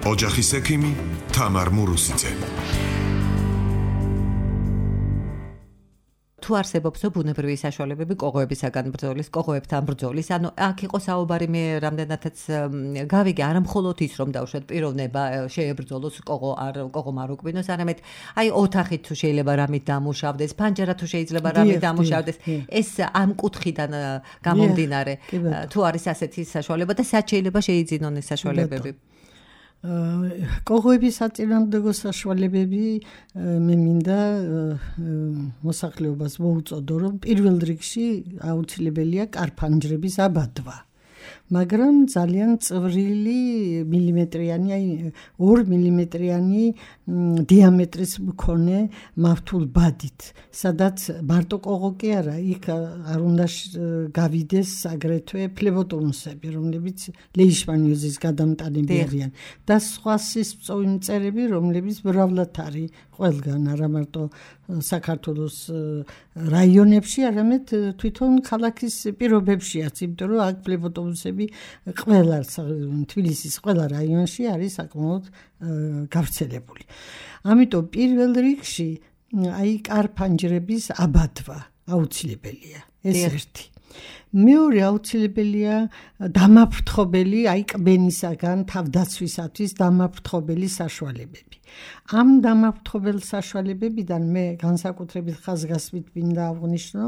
ოჯახის ექიმი თამარ მურუსიძე. თუ არსებობს ბუნებრივი საშუალებები კოღოებისაგან ბრძოლის, კოღოებთან ბრძოლის, ანუ აქ იყო საუბარი მე რამდენადაც გავიგე, არა მხოლოდ ის რომ დავუშვათ პიროვნება შეებრძოლოს კოღომ არ უკბინოს, არამედ აი ოთახი თუ შეიძლება რამით დამუშავდეს, ფანჯარა თუ შეიძლება რამით დამუშავდეს, ეს ამ კუთხიდან გამომდინარე, თუ არის ასეთი საშუალება და სად შეიძლება შეიძინონ ეს საშუალებები? კოღოების საწინააღმდეგო საშუალებები მე მინდა მოსახლეობას მოუწოდო, რომ პირველ რიგში აუცილებელია კარფანჯრების აბადვა. მაგრამ ძალიან წვრილი მილიმეტრიანი, აი 2 მილიმეტრიანი დიამეტრის მქონე მავთულ ბადით, სადაც მარტო კოღო კი არა, იქ არ უნდა გავიდეს აგრეთვე ფლებოტონუსები, რომლებიც ლეიშმანიოზის გადამტანები არიან და სხვა სისწოვი მწერები, რომლებიც მრავლად არის ყველგან, არა მარტო საქართველოს რაიონებში, არამედ თვითონ ქალაქის პირობებშიაც, იმიტომ რომ აქ ფლებოტონუსები ყველა თბილისის ყველა რაიონში არის საკმაოდ გავრცელებული. ამიტომ პირველ რიგში აი კარფანჯრების აბადვა აუცილებელია. ეს ერთი. მეორე აუცილებელია დამაფრთხობელი, აი კბენისაგან თავდაცვისათვის დამაფრთხობელი საშუალებები. ამ დამაფრთხობელ საშუალებებიდან მე განსაკუთრებით ხაზგასმით მინდა აღვნიშნო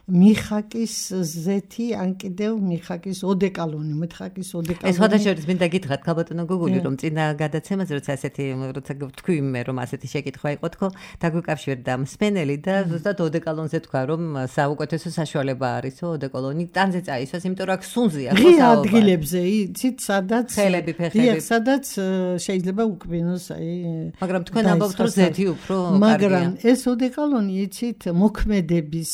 მიხაკის ზეთი, ან კიდევ მიხაკის ოდეკალონი, მიხაკის ოდეკალონი. ეს ხოდაშორის მინდა გითხრათ ქალბატონო გოგული, რომ წინა გადაცემაზე როცა თქვი მე რომ ასეთი შეკითხვა იყო თქო, დაგვიკავშირდა მსმენელი და ზუსტად ოდეკალონზე თქვა რომ საუკეთესო საშუალება არის ოდეკალონი ტანზე წაისვას, იმიტომ რომ აქ სუნზია ხო ღია ადგილებზე, იცით, სადაც ხელები, ფეხები, სადაც შეიძლება უკბინოს აი მაგრამ თქვენ ამბობთ რომ ზეთი უფრო კარგია. მაგრამ ეს ოდეკალონი იცით მოქმედების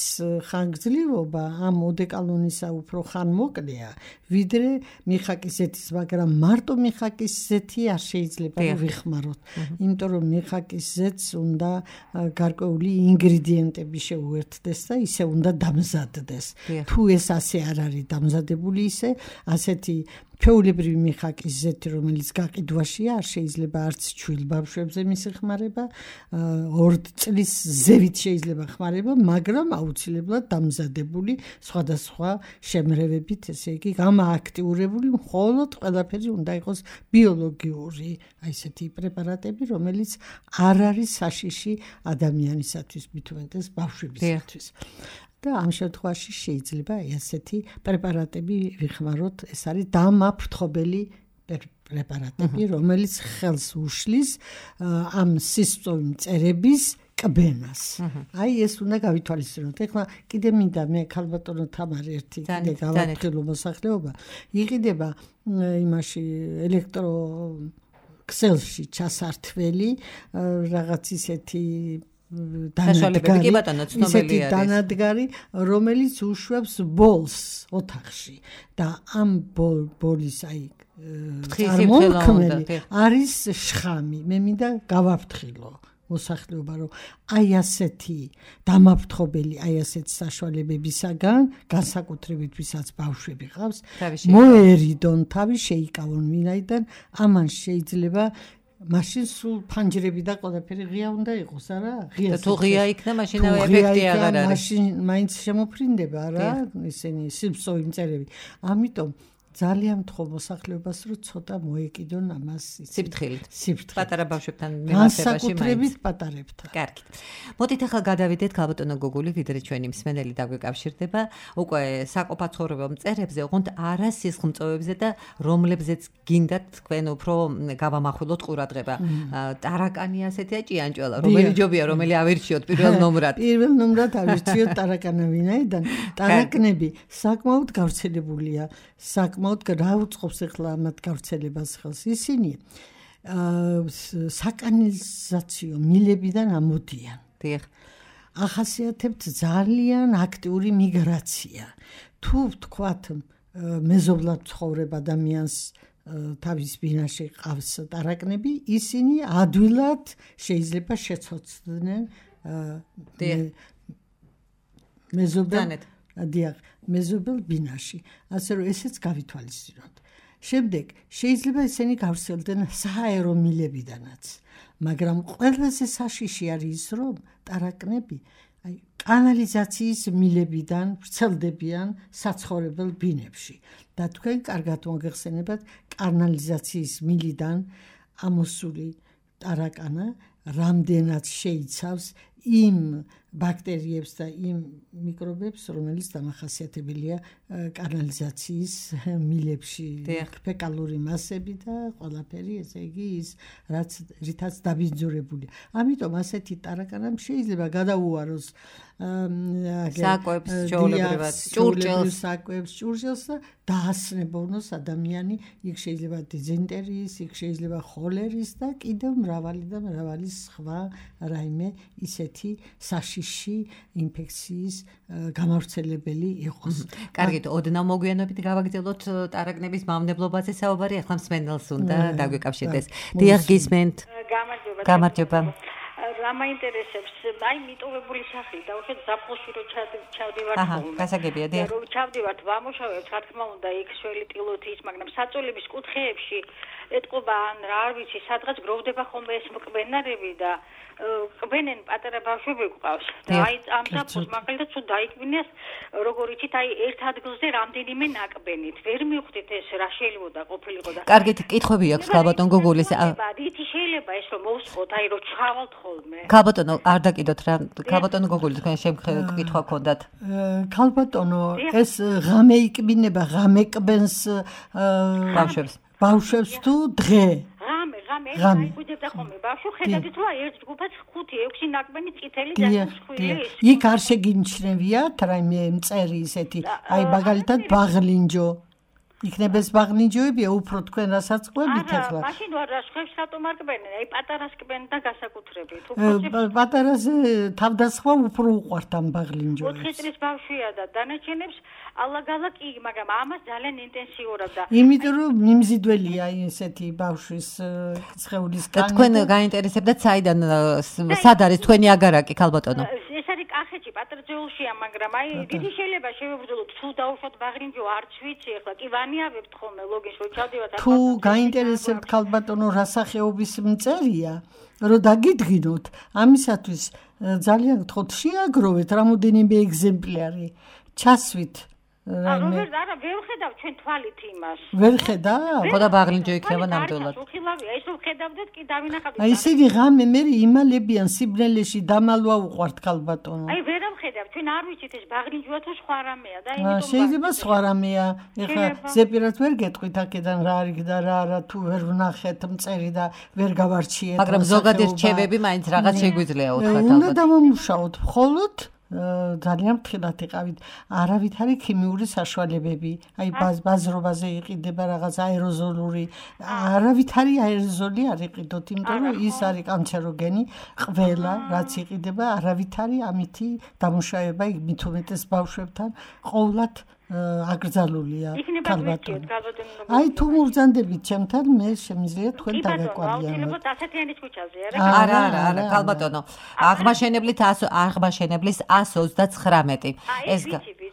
ხანგრძლივობა ამ ოდეკალონისა უფრო ხანმოკლეა ვიდრე მიხაკის ზეთის, მაგრამ მარტო მიხაკის ზეთი არ შეიძლება ვიხმაროთ. იმიტომ რომ მიხაკის ზეთს უნდა გარკვეული ინგრედიენტები შეუერთდეს და ისე უნდა დამზადდეს. თუ ეს ასე არ არის დამზადებული ისე, ასეთი ჩვეულებრივი მიხაკის ზეთი, რომელიც გაყიდვაშია, არ შეიძლება არც ჩვილ ბავშვებზე მისი ხმარება, 2 წლის ზევით შეიძლება ხმარება, მაგრამ აუცილებლად დამზადებული სხვადასხვა შემრევებით, ესე იგი გამააქტიურებული, მხოლოდ ყველაფერი უნდა იყოს ბიოლოგიური, აი ესეთი პრეპარატები, რომელიც არ არის საშიში ადამიანისათვის, მით უმეტეს ბავშვებისათვის. და ამ შემთხვევაში შეიძლება ესეთი პრეპარატები ვიხმაროთ, ეს არის დამაფრთხობელი პრეპარატები, რომელიც ხელს უშლის ამ სისწოვი მწერების კბენას. აი ეს უნდა გავითვალისწინოთ. ეხლა კიდე მინდა მე ქალბატონო თამარი ერთი კიდე გავაფრთხილო მოსახლეობა. იყიდება იმაში ელექტრო ქსელში ჩასართველი რაღაც ისეთი დანადგარი, რომელიც უშვებს ბოლს ოთახში და ამ ბოლის აი წარმომქმნელი არის შხამი. მე მინდა გავაფრთხილო მოსახლეობა, რომ აი ასეთი დამაფრთხობელი, აი ასეთ საშუალებებისაგან, განსაკუთრებით ვისაც ბავშვები ყავს, მოერიდონ, თავი შეიკავონ, ვინაიდან ამან შეიძლება მაშინ სულ ფანჯრები და ყველაფერი ღია უნდა იყოს, არა? ღია. თუ ღია იქნა, მაშინავე ეფექტი აღარ არის. მაშინ მაინც შემოფრინდება, არა? ისინი სისწოვი მწერები. ამიტომ ძალიან მთხოვ მოსახლეობას, რომ ცოტა მოეკიდონ ამას სიფრთხილით. პატარა ბავშვებთან მიმართებაში მაინც პატარებთან. კარგი. მოდით ახლა გადავიდეთ ქალბატონო გოგული, ვიდრე ჩვენი მსმენელი დაგვეკავშირდება, უკვე საყოფაცხოვრებო მწერებზე, ოღონდ არა სისხლმწოვებზე და რომლებზეც გინდათ თქვენ უფრო გავამახვილოთ ყურადღება. ტარაკანი ასეთია ჭიანჭველა, რომელი ჯობია, რომელი ავირჩიოთ პირველ ნომრად. პირველ ნომრად ავირჩიოთ ტარაკანა, ვინაიდან ტარაკნები საკმაოდ გავრცელებულია. საკმაოდ რა უწყობს ახლა ამათ გავრცელებას ხელს? ისინი საკანალიზაციო მილებიდან ამოდიან. ახასიათებთ ძალიან აქტიური მიგრაცია. თუ ვთქვათ მეზობლად ცხოვრებ ადამიანს თავის ბინაში ყავს ტარაკნები, ისინი ადვილად შეიძლება შეცოცხლდნენ მეზობლად მეზობელ ბინაში. ასე რომ ესეც გავითვალისწინოთ. შემდეგ შეიძლება ესენი გავრცელდნენ სააერო მილებიდანაც, მაგრამ ყველაზე საშიში არის ის, რომ ტარაკნები კანალიზაციის მილებიდან ვრცელდებიან საცხოვრებელ ბინებში და თქვენ კარგად მოგეხსენებათ, კანალიზაციის მილიდან ამოსული ტარაკანა რამდენად შეიცავს იმ ბაქტერიებს და იმ მიკრობებს, რომელიც დამახასიათებელია კანალიზაციის მილებში, ფეკალური მასები და ყველაფერი, ესე იგი ის, რითაც დაბინძურებულია. ამიტომ ასეთი ტარაკანამ შეიძლება გადაუაროს საკვებს, ჩვეულებრივად, ჭურჭელს და დაასნებოვნოს ადამიანი, იქ შეიძლება დიზენტერიის, იქ შეიძლება ხოლერის და კიდევ მრავალი სხვა რაიმე ისეთი საშიში ინფექციის გამავრცელებელი იყოს. კარგით, ოდნავ მოგვიანებით გავაგრძელოთ ტარაკნების მავნებლობაზე საუბარი, ახლა მსმენელს უნდა დაგვიკავშირდეს. დიახ, გისმენთ. გამარჯობა. რა მაინტერესებს, აი მიტოვებული სახლი და უბრალოდ ზაფხულში რო ჩავდივართ ხოლმე. გასაგებია, დიახ. რო ჩავდივართ, ვამუშავებთ, რა თქმა უნდა, იქ შველი ტილოთი ის, მაგრამ საწოლების კუთხეებში ეტყობა ან რა არ ვიცი, სადღაც გროვდება ხოლმე ეს მკბენარები და კბენენ პატარა ბავშვები გვყავს. და აი ამ ზაფხულს მაგალითად თუ დაიკვინეს, როგორ იცით, აი ერთ ადგილზე რამდენიმე ნაკბენით. ვერ მივხვდით ეს რა შეიძლება ყოფილიყო და კარგით, კითხვები აქვს ქალბატონ გოგულის. იცი შეიძლება ეს რომ მოვსყოთ, აი რომ ჩავალთ ხოლმე. ქალბატონო, არ დაკიდოთ რა. ქალბატონო გოგული, თქვენ კითხვა გქონდათ. ქალბატონო, ეს ღამე იკბინება, ღამე კბენს ბავშვებს თუ დღე? ღამე გვიდებდა ხოლმე ბავშვი, ხედავთ რომ ერთ ჯგუფად 5-6 ნაკბენი წითელი დასხული. იქ არ შეგინჩნევიათ რაიმე მწერი ისეთი, აი მაგალითად ბაღლინჯო. იქნება ეს ბაღლინჯოებია უფრო თქვენ რასაც ყვებით ახლა. არა, მაშინ რა შეხებს რატომ არ კბენენ? აი პატარას კბენ და გასაკუთრებით. პატარაზე თავდასხმა უფრო უყვართ ამ ბაღლინჯოებს. 4 წლის ბავშვია და დანარჩენებს ალაგალა კი, მაგრამ ამას ძალიან ინტენსიურად და იმიტომ რომ მიმზიდველია ესეთი ბავშვის სხეულის კანი. თქვენ გაინტერესებდათ საიდან სად არის თქვენი აგარაკი ქალბატონო? ეს არის კახეთში, პატრიოულშია, მაგრამ აი დიდი შეიძლება შევებრძოლოთ, თუ დაუშვათ ბაღლინჯო, არც ვიცი, ახლა კი ვანიავებთ ხოლმე ლოგინს, რომ ჩავდივართ. თუ გაინტერესებთ ქალბატონო რა სახეობის მწერია, რომ დაგიდგინოთ, ამისათვის ძალიან გთხოვთ შეაგროვეთ რამოდენიმე ეგზემპლარი, ჩასვით. არა, ვერ ხედავ ჩვენ თვალით იმას. ვერ ხედავ? ხო და ბაღლინჯო იქნება ნამდვილად. უხილავია, ეს რომ ხედავდეთ კი დავინახავთ. აი ისინი ღამე მე იმალებიან სიბნელეში დამალვა უყვართ ქალბატონო. აი ვერ ამხედავ, ჩვენ არ ვიცით ეს ბაღლინჯოა თუ სხვა რამეა და იმიტომ შეიძლება სხვა რამეა. ეხლა ზეპირად ვერ გეტყვით აქედან რა არის და რა არა, თუ ვერ ვნახეთ მწერი და ვერ გავარჩიეთ. მაგრამ ზოგადად რჩევები მაინც რაღაც შეგვიძლია უთხრათ ალბათ. უნდა დავამუშაოთ მხოლოდ ძალიან ფრთხილად იყავით. არავითარი ქიმიური საშუალებები, აი ბაზრობაზე იყიდება რაღაც აეროზოლური, არავითარი აეროზოლი არ იყიდოთ, იმიტომ რომ ის არის კანცეროგენი, ყველა რაც იყიდება, არავითარი ამითი დამუშავება მით უმეტეს ბავშვებთან ყოვლად აკრძალულია ქალბატონო. აი თუ მოვზანდებით ჩემთან, მე შემიძლია თქვენ დაგაკვირდიანოთ. დასათიანის ქუჩაზე, არა, ქალბატონო. აღმაშენებლის 129. ეს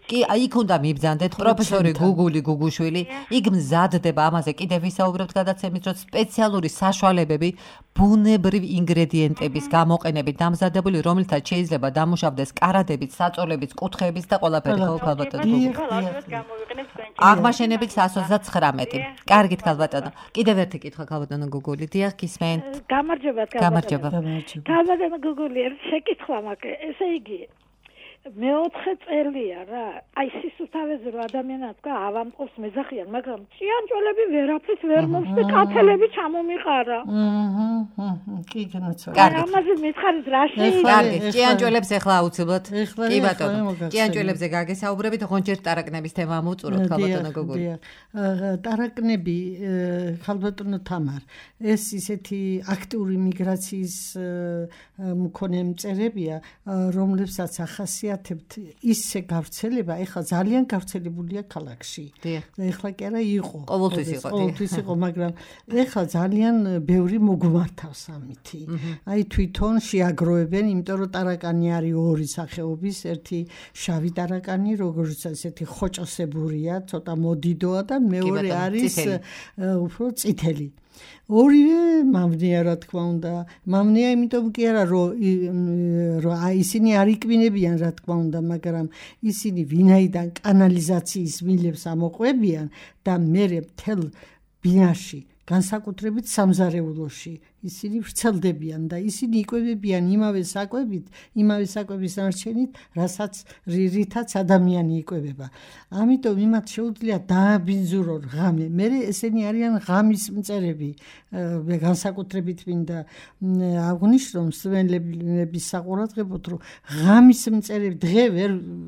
კი, იქ უნდა მიბრძანდეთ პროფესორი გუგული გუგუშვილი. იქ მზადდება ამაზე კიდევ ვისაუბრებთ გადაცემის დროს სპეციალური საშუალებები ბუნებრივ ინგრედიენტების გამოყენებით დამზადებული, რომელთაც შეიძლება დამუშავდეს კარადებით, საწოლებით, კუთხეებით და ყველაფერი ხო ქალბატონო გუგული. აღმაშენებლის 129. კარგით ქალბატონო. კიდევ ერთი კითხვა ქალბატონო გუგული. დიახ, გისმენთ. გამარჯობა. ქალბატონო გუგული, შეკითხვა მაქვს. ესე იგი მე-4 წელია რა. აი სისუფთავეზე რომ ადამიანად თქვა ავამყობს მეძახიან, მაგრამ ჭიანჭველები ვერაფერს ვერ მოხს და კაცელები ჩამომიყარა. კი, განაცვალე. ამაზე მითხარით რა შეიძლება? კარგი, ჭიანჭველებს ახლა აუცილებლად. კი ბატონო. ჭიანჭველებზე გაგესაუბრებით, ღონჯერ ტარაკნების თემა მოუწუროთ ქალბატონო გუგული. ტარაკნები ქალბატონო თამარ, ეს ისეთი აქტიური მიგრაციის მქონე მწერებია, რომლებსაც ახასიათებს ვიკეთებთ ისე გავრცელება, ეხლა ძალიან გავრცელებულია ქალაქში. ეხლა კი არა იყო. ყოველთვის იყო, მაგრამ ეხლა ძალიან ბევრი მოგმართავს ამითი. აი თვითონ შეაგროვებენ, იმიტომ რომ ტარაკანი არის ორი სახეობის, ერთი შავი ტარაკანი, როგორც ესეთი ხოჭოსებურია, ცოტა მოდიდოა და მეორე არის უფრო წითელი. ორივე მამნია რა თქმა უნდა. მამნია იმიტომ კი არა რომ ისინი არ იკვინებიან რა თქმა უნდა, მაგრამ ისინი ვინაიდან კანალიზაციის მილებს ამოყვებიან და მერე მთელ ბინაში განსაკუთრებით სამზარეულოში ისინი ვრცელდებიან და ისინი იკვებებიან იმავე საკვების ნარჩენით, რითაც ადამიანი იკვებება. ამიტომ იმათ შეუძლია დააბინძურონ ღამე. მერე ესენი არიან ღამის მწერები. განსაკუთრებით მინდა აღვნიშნო მსმენელების საყურადღებოდ, რომ ღამის მწერები დღე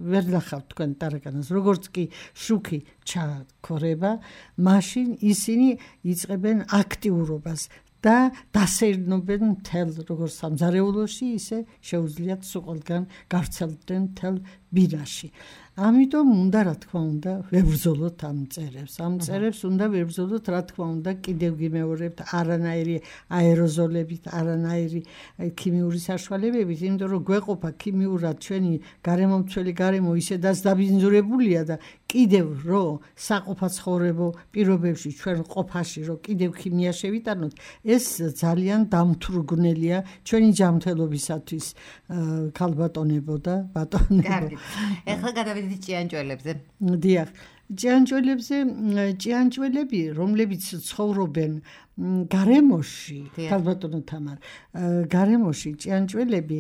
ვერ ნახავთ თქვენ ტარაკანას, როგორც კი შუქი ჩაქორება, მაშინ ისინი იწყებენ აქტიურობას და დასეირნობენ მთელ როგორც სამზარეულოში, ისე შეუძლიათ სულ გავრცელდნენ მთელ ბინაში. ამიტომ უნდა რა თქმა უნდა ვებრძოლოთ ამ მწერებს. ამ მწერებს უნდა ვებრძოლოთ რა თქმა უნდა კიდევ გიმეორებთ არანაირი აეროზოლებით, არანაირი ქიმიური საშუალებებით, იმიტომ რომ გვეყოფა ქიმიურად ჩვენი გარემომცველი გარემო ისედაც დაბინძურებულია და კიდევ რომ საყოფაცხოვრებო პირობებში ჩვენ ყოფაში რომ კიდევ ქიმია შევიტანოთ, ეს ძალიან დამთვრგნელია ჩვენი ჯანმრთელობისათვის. ქალბატონებო და ბატონებო. ეხლა გადავიდეთ ჭიანჭველებზე. დიახ, ჭიანჭველები, რომლებიც ცხოვრობენ გარემოში, ქალბატონო თამარ, გარემოში ჭიანჭველები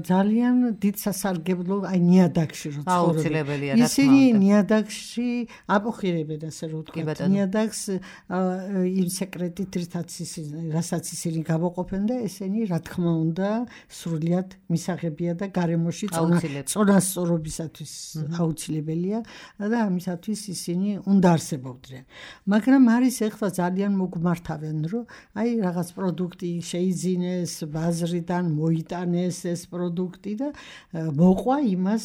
ძალიან დიდ სასარგებლო აი ნიადაგში რო ცხოვრობენ. ისინი ნიადაგში აპოხირებენ, ასე რომ ვთქვათ, ნიადაგს იმ სეკრეტით, რასაც ისინი გამოყოფენ და ესენი რა თქმა უნდა სრულიად მისაღებია და გარემოში წონასწორობისათვის აუცილებელია და ამისათვის ისინი უნდა არსებობდნენ. მაგრამ არის ეხლა ძალიან მოგმართავენ, რომ აი რაღაც პროდუქტი შეიძინეს, ბაზრიდან მოიტანეს ეს პროდუქტი და მოყვა იმას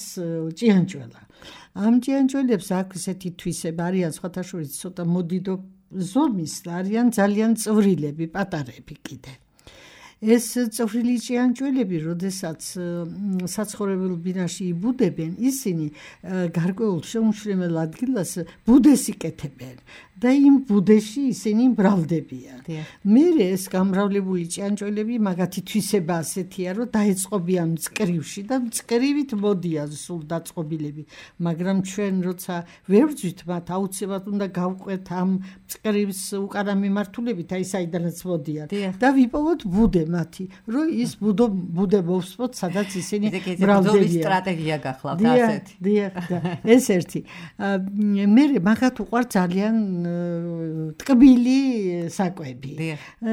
ჭიანჭველა. ამ ჭიანჭველებს აქვს ესეთი თვისება, არიან სხვათა შორის ცოტა მოდიდო ზომის და არიან ძალიან წვრილები, პატარები კიდე. ეს წვრილი ჭიანჭველები, როდესაც საცხოვრებელ ბინაში იბუდებენ, ისინი გარკვეულ შეუმჩნეველ ადგილას ბუდეს იკეთებენ და იმ ბუდეში ისინი მრავლდებიან. მერე ეს გამრავლებული ჭიანჭველები მაგათი თვისება ასეთია, რომ დაეწყობიან მწკრივში და მწკრივით მოდიან სულ დაწყობილები, მაგრამ ჩვენ როცა ვერ ვძვით მათ, აუცილებლად უნდა გავყვეთ ამ მწკრივს უკანა მიმართულებით, აი საიდანაც მოდიან და ვიპოვოთ ბუდე მათი, რომ ის ბუდე მოვსვოთ, სადაც ისინი მრავლდებიან. სტრატეგია გახლავთ ასეთი. დიახ, ეს ერთი. მერე მაგათ უყვართ ძალიან ტკბილი საკვები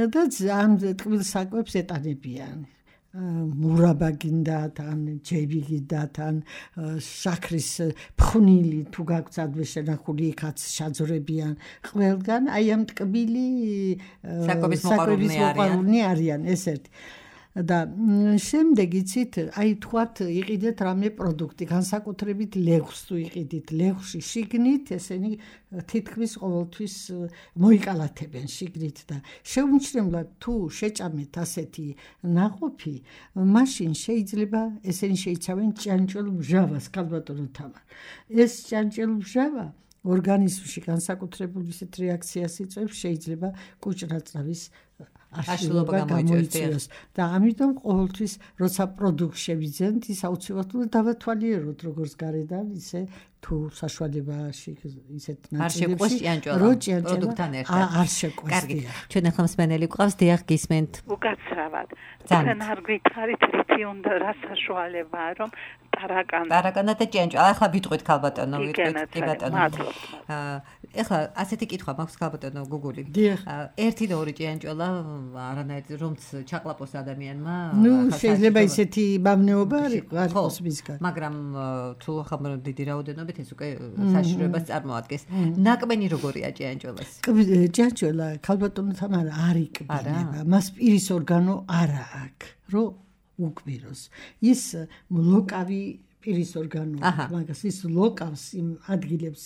და ამ ტკბილ საკვებს ეტანებიან. მურაბა გინდათ, ან ჯები გინდათ, ან შაქრის ფხვნილი თუ გაქვთ ადვე შენახული, იქაც შაძვრებიან. ყველგან აი ამ ტკბილი საკვების მოყვარულნი არიან, ეს ერთი. და შემდეგ იცით, აი თქვათ იყიდეთ რამე პროდუქტი, განსაკუთრებით ლეღვს თუ იყიდით, ლეღვში შიგნით ესენი თითქმის ყოველთვის მოიკალათებენ შიგნით და შეუმჩნევლად თუ შეჭამეთ ასეთი ნაყოფი, მაშინ შეიძლება ესენი შეიცავენ ჭიანჭველ მჟავას, ქალბატონო თამარ. ეს ჭიანჭველ მჟავა ორგანიზმში განსაკუთრებული ისეთ რეაქციას იწვევს, შეიძლება კუჭრაწავის აშლილობა გამოიწვიოს და ამიტომ ყოველთვის როცა პროდუქტს შევიძენთ, ის აუცილებლად დავათვალიეროთ, როგორც გარედან, ისე თუ საშუალებაში ისეთ ნაწილებში რო ჭიანჭველთან ერთად არ შეყვეს. კარგი, ჩვენ ახლა მსმენელი გვყავს, დიახ, გისმენთ. უკაცრავად. თან არ გვითარით რითი უნდა რა საშუალებაა, რომ ტარაკანა და ჭიანჭველა. ახლა ვიტყვით ქალბატონო, კი ბატონო. ახლა ასეთი კითხვა მაქვს ქალბატონო გუგული. ერთი და ორი ჭიანჭველა არანაირ რომც ჩაყლაპოს ადამიანმა. ნუ შეიძლება ისეთი ბაბნეობა არ იყოს მისგან. მაგრამ თუ ახლა დიდი რაოდენობით ეს უკვე საშიშროებას წარმოადგენს. ნაკბენი როგორია ჭიანჭველას? ჭიანჭველა ქალბატონო თამარ არ იკბინება. მას პირის ორგანო არა აქვს, რომ უკბიროს. ის ლოკავი პირის ორგანოა, მაგას ის ლოკავს იმ ადგილებს,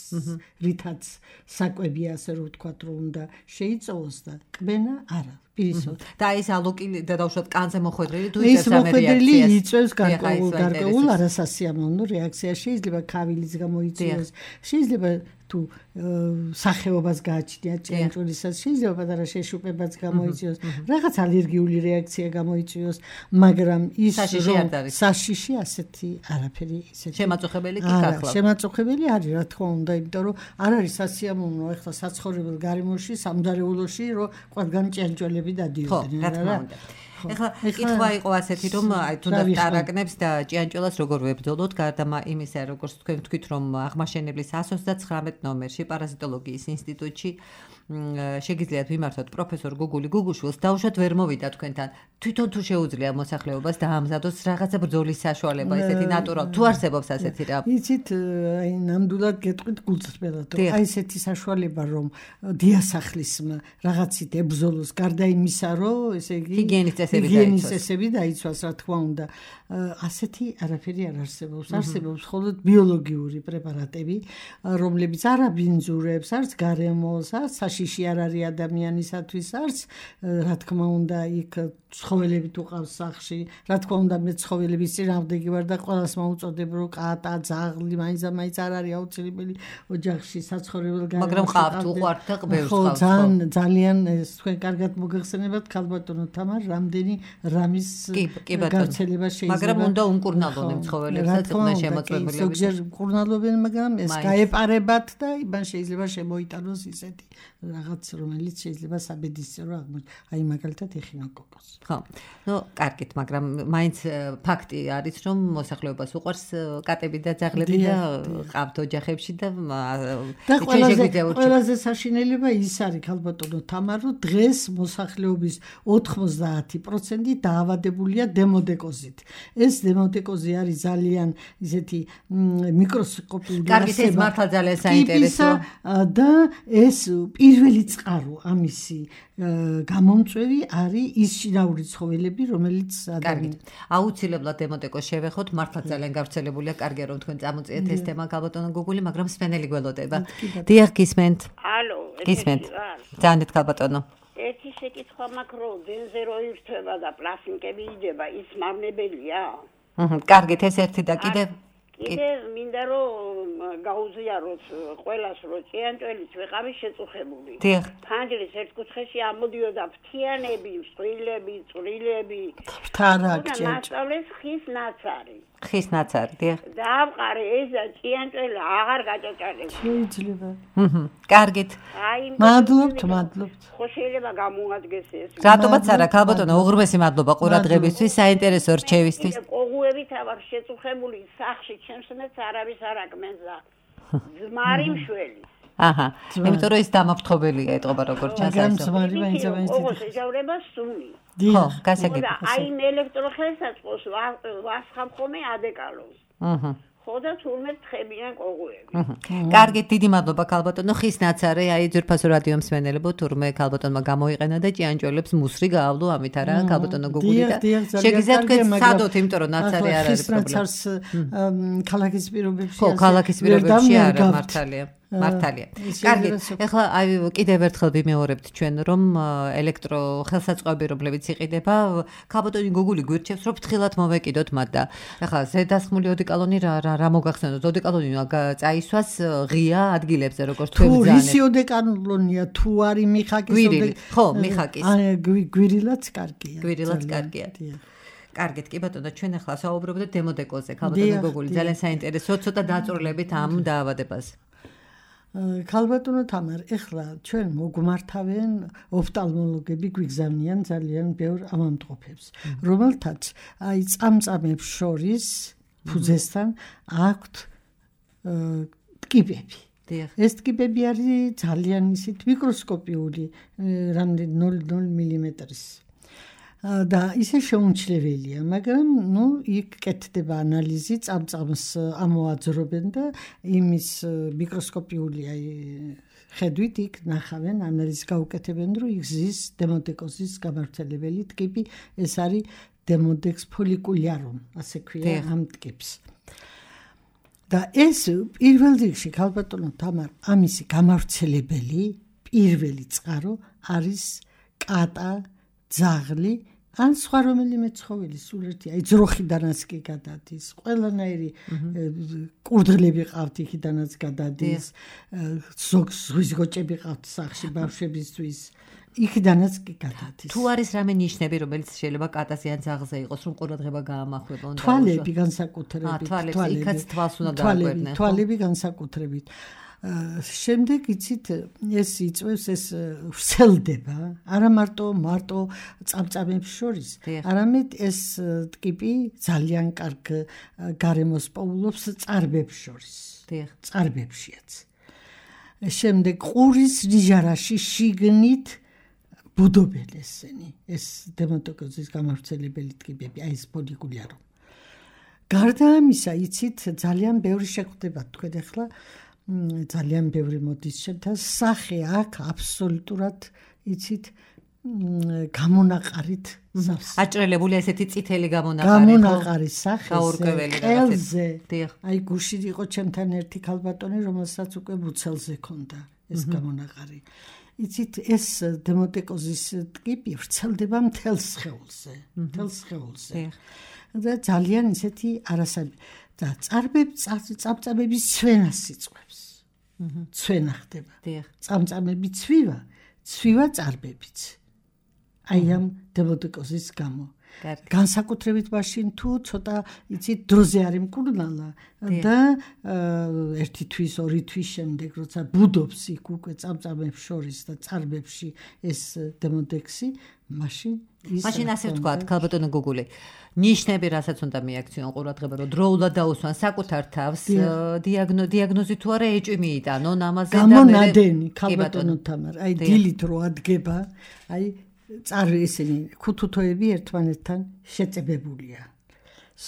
რითაც საკვები ასე რომ ვთქვათ, რომ უნდა შეიწოვოს და კბენა არა. და ეს ალოკი და დაუშვათ კანზე მოხვედრილი თუ ის მოხვედრილი იწვევს გარკვეულ არასასიამოვნო რეაქციას, შეიძლება ქავილიც გამოიწვიოს, შეიძლება თუ სახეობას გააჩნია ჭიანჭველისას, შეიძლება პატარა შეშუპებაც გამოიწვიოს, რაღაც ალერგიული რეაქცია გამოიწვიოს, მაგრამ ის საშიში ასეთი არაფერი ისეთი შემაწუხებელი კი გახლავთ. შემაწუხებელი არის, რა თქმა უნდა, იმიტომ რომ არ არის სასიამოვნო ახლა საცხოვრებელ გარემოში, სამზარეულოში, რომ ყველგან ჭიანჭველები დადიოდნენ, რა. ეხლა კითხვა იყო ასეთი, რომ აი თუნდაც ტარაკნებს და ჭიანჭველას როგორ ვებრძოლოთ, გარდა იმისა, როგორც თქვენ თქვით, რომ აღმაშენებლის 129 ნომერში პარაზიტოლოგიის ინსტიტუტში შეგიძლიათ ვიმართოთ პროფესორ გუგული გუგუშვილს, დაუშვათ ვერ მოვიდა თქვენთან. თვითონ თუ შეუძლია მოსახლეობას დაამზადოს რაღაცა ბრძოლის საშუალება, ესეთი ნატურალ თუ არსებობს ასეთი რა. იცით, აი ნამდვილად გეტყვით გულწრფელად, აი ესეთი საშუალება რომ დიასახლის რაღაცით ებრძოლოს, გარდა იმისა, რომ ესე იგი ჰიგიენის წესები დაიცვას, რა თქმა უნდა. ასეთი არაფერი არ არსებობს. არსებობს მხოლოდ ბიოლოგიური პრეპარატები, რომლებიც არ აბინძურებს, არც გარემოს, არც საშიში არ არის ადამიანისათვის, არც რა თქმა უნდა იქ ცხოველები თუ ყავს სახლში, რა თქმა უნდა მე ცხოველების წინააღმდეგი ვარ და ყველას მოუწოდებ რომ კატა, ძაღლი, მაინც არ არის აუცილებელი ოჯახში საცხოვრებელ გარემოში. მაგრამ ყავთ უყვართ და ყბევს ყავთ. ძალიან თქვენ კარგად მოგეხსენებათ ქალბატონო თამარ, რამდენი რამის გავრცელება შეიძლება. მაგრამ უნდა უმკურნალოდნენ ცხოველებსაც და შემოწმებულები. ზოგჯერ მკურნალობენ, მაგრამ ეს გაეპარებათ და იმან შეიძლება შემოიტანოს ისეთი რაღაც, რომელიც შეიძლება საბედისწერო აღმოჩნდეს. აი მაგალითად ეხინოკოკოს. ხო. ნუ კარგით, მაგრამ მაინც ფაქტი არის, რომ მოსახლეობას უყვარს კატები და ძაღლები და ყავთ ოჯახებში და ყველაზე საშინელება ის არის ქალბატონო თამარ, რომ დღეს მოსახლეობის 90% დაავადებულია დემოდეკოზით. ეს დემოდეკოზი არის ძალიან ისეთი მიკროსკოპიული კარგით, ეს მართლა ძალიან საინტერესო და ეს პირველი წყარო ამისი გამომწვევი არის ის შინაური ცხოველები, რომელიც კარგით. აუცილებლად დემოდეკოს შევეხოთ, მართლა ძალიან გავრცელებულია, კარგია რომ თქვენ წამოწიეთ ეს თემა ქალბატონო გუგული, მაგრამ სპენელი გველოდება. დიახ, გისმენთ. ალო, გისმენთ. ძალიან ქალბატონო. ერთი შეკითხვა მაქვს, რომ დენზე რო ირთვება და პლასტიკები იდება, ის მავნებელია? კარგით, ეს ერთი და კიდევ მინდა რომ გაუზიაროთ ყველას, რომ ჭიანჭველიც ვეყავი შეწუხებული. ფანჯრის ერთ კუთხეში ამოდიოდა ფრთიანები, მსხვილები, წვრილები. მასწავლეს ხის ნაცარი. ხის ნაცარი, დიახ. დაავყარე ეს და ჭიანჭველი აღარ გაჭაჭარებს. შეიძლება. კარგით. მადლობთ. ხო შეიძლება გამოადგეს ეს. რატომაც არა, ქალბატონო, უღრმესი მადლობა ყურადღებისთვის, საინტერესო რჩევისთვის. ყოღუებით ავარ შეწუხებული სახში, ჩემსნეც არავის არ აკმენს და ძმარი მშველი. აჰა. იმიტომ რომ ის დამაფრთხობელია ეტყობა როგორც ჩანს. მაგრამ ძმარი მაინც ყოღოს ეჯავრება სუნი. ხო, გასაგებია. აი ელექტროხელსაწყოს ვასხამ ხოლმე ადეკალოს. ხო და თურმე თხებიან ყოღუები. კარგით, დიდი მადლობა ქალბატონო. ხის ნაცარი, აი ძვირფასო რადიო მსმენელებო, თურმე ქალბატონმა გამოიყენა და ჭიანჭველებს მუსრი გაავლო, ამით არა ქალბატონო გუგული და შეგიძლიათ თქვენ სადოთ, იმიტომ რომ ნაცარი არ არის პრობლემა. ხის ნაცარს ქალაქის პირობებში ხო, ქალაქის პირობებში არა, მართალია. კარგით, ეხლა აი კიდევ ერთხელ ვიმეორებთ ჩვენ, რომ ელექტროხელსაწყოები, რომლებიც იყიდება, ქალბატონი გუგული გვირჩევს, რომ ფრთხილად მოვეკიდოთ მათ და ეხლა ზედასხმული ოდეკალონი რა მოგახსენოთ? ოდეკალონი წაისვას ღია ადგილებზე, როგორც თქვენ ბრძანებთ. თუ რისი ოდეკალონია, თუ არის მიხაკის ოდეკალონი. ხო, მიხაკის. გვირილაც კარგია. გვირილაც კარგია. კარგით, კი ბატონო, ჩვენ ახლა საუბრობთ დემოდეკოზე, ქალბატონი გუგული, ძალიან საინტერესოა, ცოტა დაწვრილებით ამ დაავადებას. ქალბატონო თამარ, ეხლა ჩვენ მოგმართავენ ოფტალმოლოგები, გვიგზავნიან ძალიან ბევრ ავადმყოფებს, რომელთაც აი წამწამებს შორის ფუძესთან აქვთ ტკიპები. ეს ტკიპები არის ძალიან ისეთ მიკროსკოპიული, რამდენი 0.0 მმ-ის. და ისე შეუმჩნეველია, მაგრამ იქ კეთდება ანალიზი, წამწამს ამოაძრობენ და იმის მიკროსკოპიული ხედვით იქ ნახავენ, ანალიზს გაუკეთებენ, რომ იქ ზის დემოდეკოზის გამავრცელებელი ტკიპი, ეს არის დემოდექს ფოლიკულიარუმ, ასე ქვია ამ ტკიპს. და ეს პირველ რიგში ქალბატონო თამარ ამისი გამავრცელებელი პირველი წყარო არის კატა, ძაღლი ან სხვა რომელიმე ცხოველი სულ ერთი აი ძროხიდანაც კი გადადის ყველანაირი კურდღლები ყავთ იქიდანაც გადადის ზღვის გოჭები ყავთ სახში ბავშვებისთვის იქიდანაც კი გადადის თუ არის რამე ნიშნები რომელიც შეიძლება კატაზე ან ძაღლზე იყოს რომ ყურადღება გაამახვილონ თვალები განსაკუთრებით იქაც თვალს უნდა დააკვირდნენ თვალები განსაკუთრებით შემდეგ იცით ეს იწვევს ეს ვრცელდება არა მარტო წამწამებს შორის არამედ ეს ტკიპი ძალიან კარგ გარემოს პოულობს წარბებს შორის წარბებშიაც შემდეგ ყურის რიჟარაში შიგნით ბუდობენ ესენი ეს დემონტოკოზის გამავრცელებელი ტკიპები აი ეს პოლიკული არო გარდა ამისა იცით ძალიან ბევრი შეხვდება თქვენ ახლა ძალიან ბევრი მოდის ჩემთან სახე აქ აბსოლუტურად იცით გამონაყარით აჭრელებული ესეთი წითელი გამონაყარი სახე ყელზე აი გუშინ იყო ჩემთან ერთი ქალბატონი რომელსაც უკვე მუცელზე ქონდა ეს გამონაყარი იცით ეს დემონტოკოზის ტკიპი ვრცელდება მთელს სხეულზე და ძალიან ისეთი არასაბი და წამწამების ცვენას იწვევს. ცვენა ხდება. წამწამები ცვივა წარბებიც. აი ამ დემონტოკოზის გამო. განსაკუთრებით მაშინ თუ ცოტა იცით დროზე არის მკურნალა და ერთი თვის ორი თვის შემდეგ როცა ბუდობს იქ უკვე წამწამებს შორის და წარბებში ეს დემონტექსი მაშინ ასე ვთქვათ ქალბატონო გუგული ნიშნები რასაც უნდა მიაქციონ ყურადღება რომ დროულად დაუსვან საკუთარ თავს დიაგნოზი თუ არა ეჭვი მიიტანონ ამაზე და გამონადენი ქალბატონო თამარ აი დილით რო ადგება აი წარვი ესენი ქუთუთოები ერთმანეთთან შეწებებულია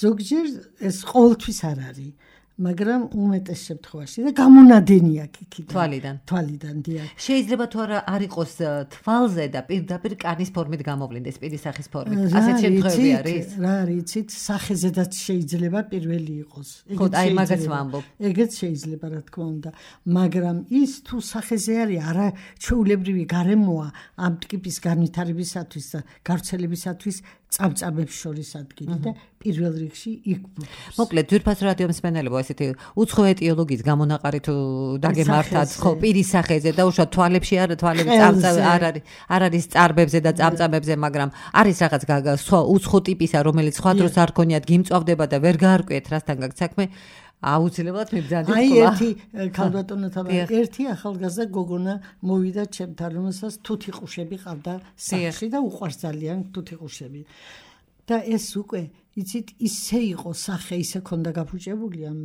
ზოგჯერ ეს ყოველთვის არ არის მაგრამ უმეტეს შემთხვევაში და გამონადენია იქიდან თვალიდან დიახ შეიძლება თუ არა არ იყოს თვალზე და პირდაპირ კანის ფორმით გამოვლინდეს პირის სახის ფორმით ასეთ შემთხვევები არის რა არის იცით სახეზედაც შეიძლება პირველი იყოს აი მაგაც ვამბობ ეგეც შეიძლება რა თქმა უნდა მაგრამ ის თუ სახეზე არის არა ჩვეულებრივი გარემოა ამ ტკიპის განვითარებისათვის და გავრცელებისათვის წამწამებს შორის ადგილი და პირველ რიგში იქ ბუდობს. მოკლედ ძვირფას რადიო მსმენელებო ესეთი უცხო ეტიოლოგიის გამონაყარი თუ დაგემართათ ხო პირის სახეზე და უშუალოდ თვალებში თვალები არ არის წარბებზე და წამწამებზე მაგრამ არის რაღაც სხვა უცხო ტიპისა რომელიც სხვა დროს არ ქონიათ გიმწვავდება და ვერ გაარკვიეთ რასთან გაქვს საქმე აუცილებლად მიბრძანდით აი ერთი ქალბატონო თამარ ერთი ახალგაზრდა გოგონა მოვიდა ჩემთან რომელსაც თუთიყუშები ყავდა სახში და უყვარს ძალიან თუთიყუშები და ეს უკვე იცით ისე იყო სახე ისე ქონდა გაფუჭებული ამ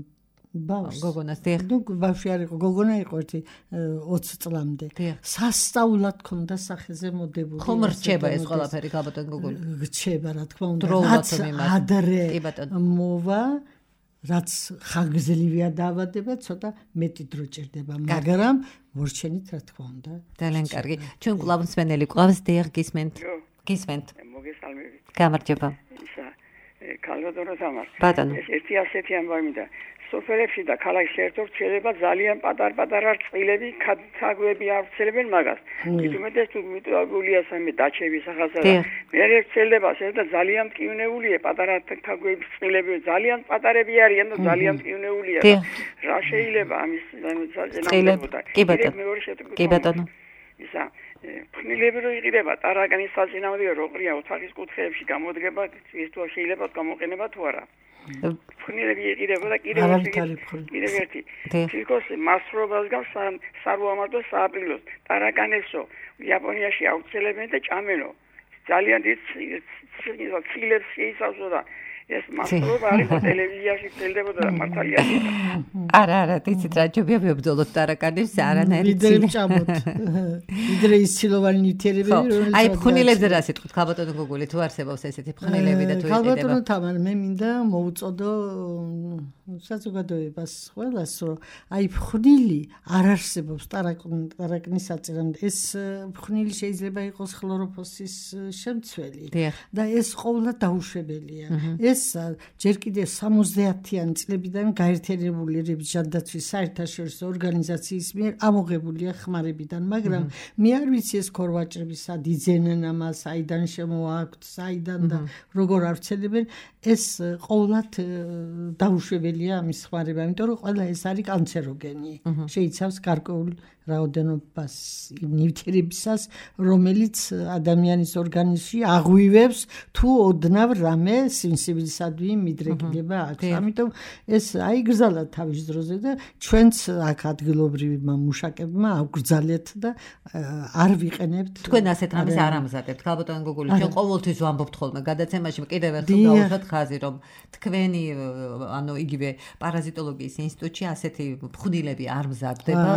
ბავშვს გოგონას დიახ ნუ ბავშვი არ იყო გოგონა იყო ერთი 20 წლამდე სასწაულად ქონდა სახეზე მოდებული ხომ რჩება ეს ყველაფერი ქალბატონო გოგონა რჩება რა თქმა უნდა რაც ადრე მოვა რაც ხანგრძლივია დაავადება ცოტა მეტი დრო ჭირდება მაგრამ მორჩენით რა თქმა უნდა ძალიან კარგი ჩვენ კვლავ მსმენელი ყავს დიახ გისმენთ მოგესალმებით გამარჯობა ქალბატონო თამარ ბატონო ეს ერთი ასეთი ამბავი და სოფელებში და ქალაქში ერთად შეიძლება ძალიან პატარ-პატარა წყილები თაგვები ავრცელებენ მაგას ითუმეტეს თუ მიტოვებულია სამე დაჩების ახალსა და მე ერთელდება ეს და ძალიან მტკივნეულია პატარა თაგვების წყილები ძალიან პატარები არიან და ძალიან მტკივნეულია რა შეიძლება ამის საჭიროება კი ბატონო ისა ფნილები რო იყიდება ტარაკანის საწინააღმდეგო როყრია ოთახის კუთხეებში გამოდგება ის თუ შეიძლება გამოყენება თუ არა ფნილები იყიდება და კიდევ ერთი თილკოს მასრობას გავს სარუამარტო სააპრილოს ტარაკანესო იაპონიაში აუცელებენ და ჭამენო ძალიან დიდ ცილებს შეიცავსო და ეს მასრობა არის ტელევიზიაში წელდებოდა მართალია არა იცით რა ჯობია ბძოლოთ ტარაკანებს არანაირი ცილი ჭამოთ იდრე ის ცილოვანი ნივთიერებები რომელიც აი ფხნილებზე რა სიტყვით ქალბატონო გოგოლი თუ არსებობს ესეთი ფხნილები და თუ იყიდება ქალბატონო თამარ მე მინდა მოუწოდო საზოგადოებას ყველას რომ აი ფხნილი არ არსებობს ტარაკნის საწინააღმდეგო ეს ფხნილი შეიძლება იყოს ხლოროფოსის შემცველი და ეს ყოველდღე დაუშვებელია ეს ეს ჯერ კიდევ 70-იანი წლებიდან გაერთიანებული ერების ჯანდაცვის საერთაშორისო ორგანიზაციის მიერ ამოღებულია ხმარებიდან, მაგრამ მე არ ვიცი ეს ქორვაჭრები სად იძენენ ამას, საიდან შემოაქვთ, საიდან და როგორ ავრცელებენ, ეს ყოველად დაუშვებელია ამის ხმარება, იმიტომ რომ ყველა ეს არის კანცეროგენი. შეიცავს გარკვეულ რაოდენობას ნივთიერებისას, რომელიც ადამიანის ორგანიზმში აღვივებს თუ ოდნავ რამე სიმსივილისადმი მიდრეკილება აქვს. ამიტომ ეს აიგრძალა თავის დროზე და ჩვენც აქ ადგილობრივმა მუშაკებმა აგვგრძალეთ და არ ვიყენებთ. თქვენ ასეთ რამეს არ ამზადებთ, ქალბატონო გოგული, ჩვენ ყოველთვის ვამბობთ ხოლმე გადაცემაში, კიდევ ერთხელ დავუშვათ ხაზი, რომ თქვენი ანუ იგივე პარაზიტოლოგიის ინსტიტუტში ასეთი ფხვნილები არ მზადდება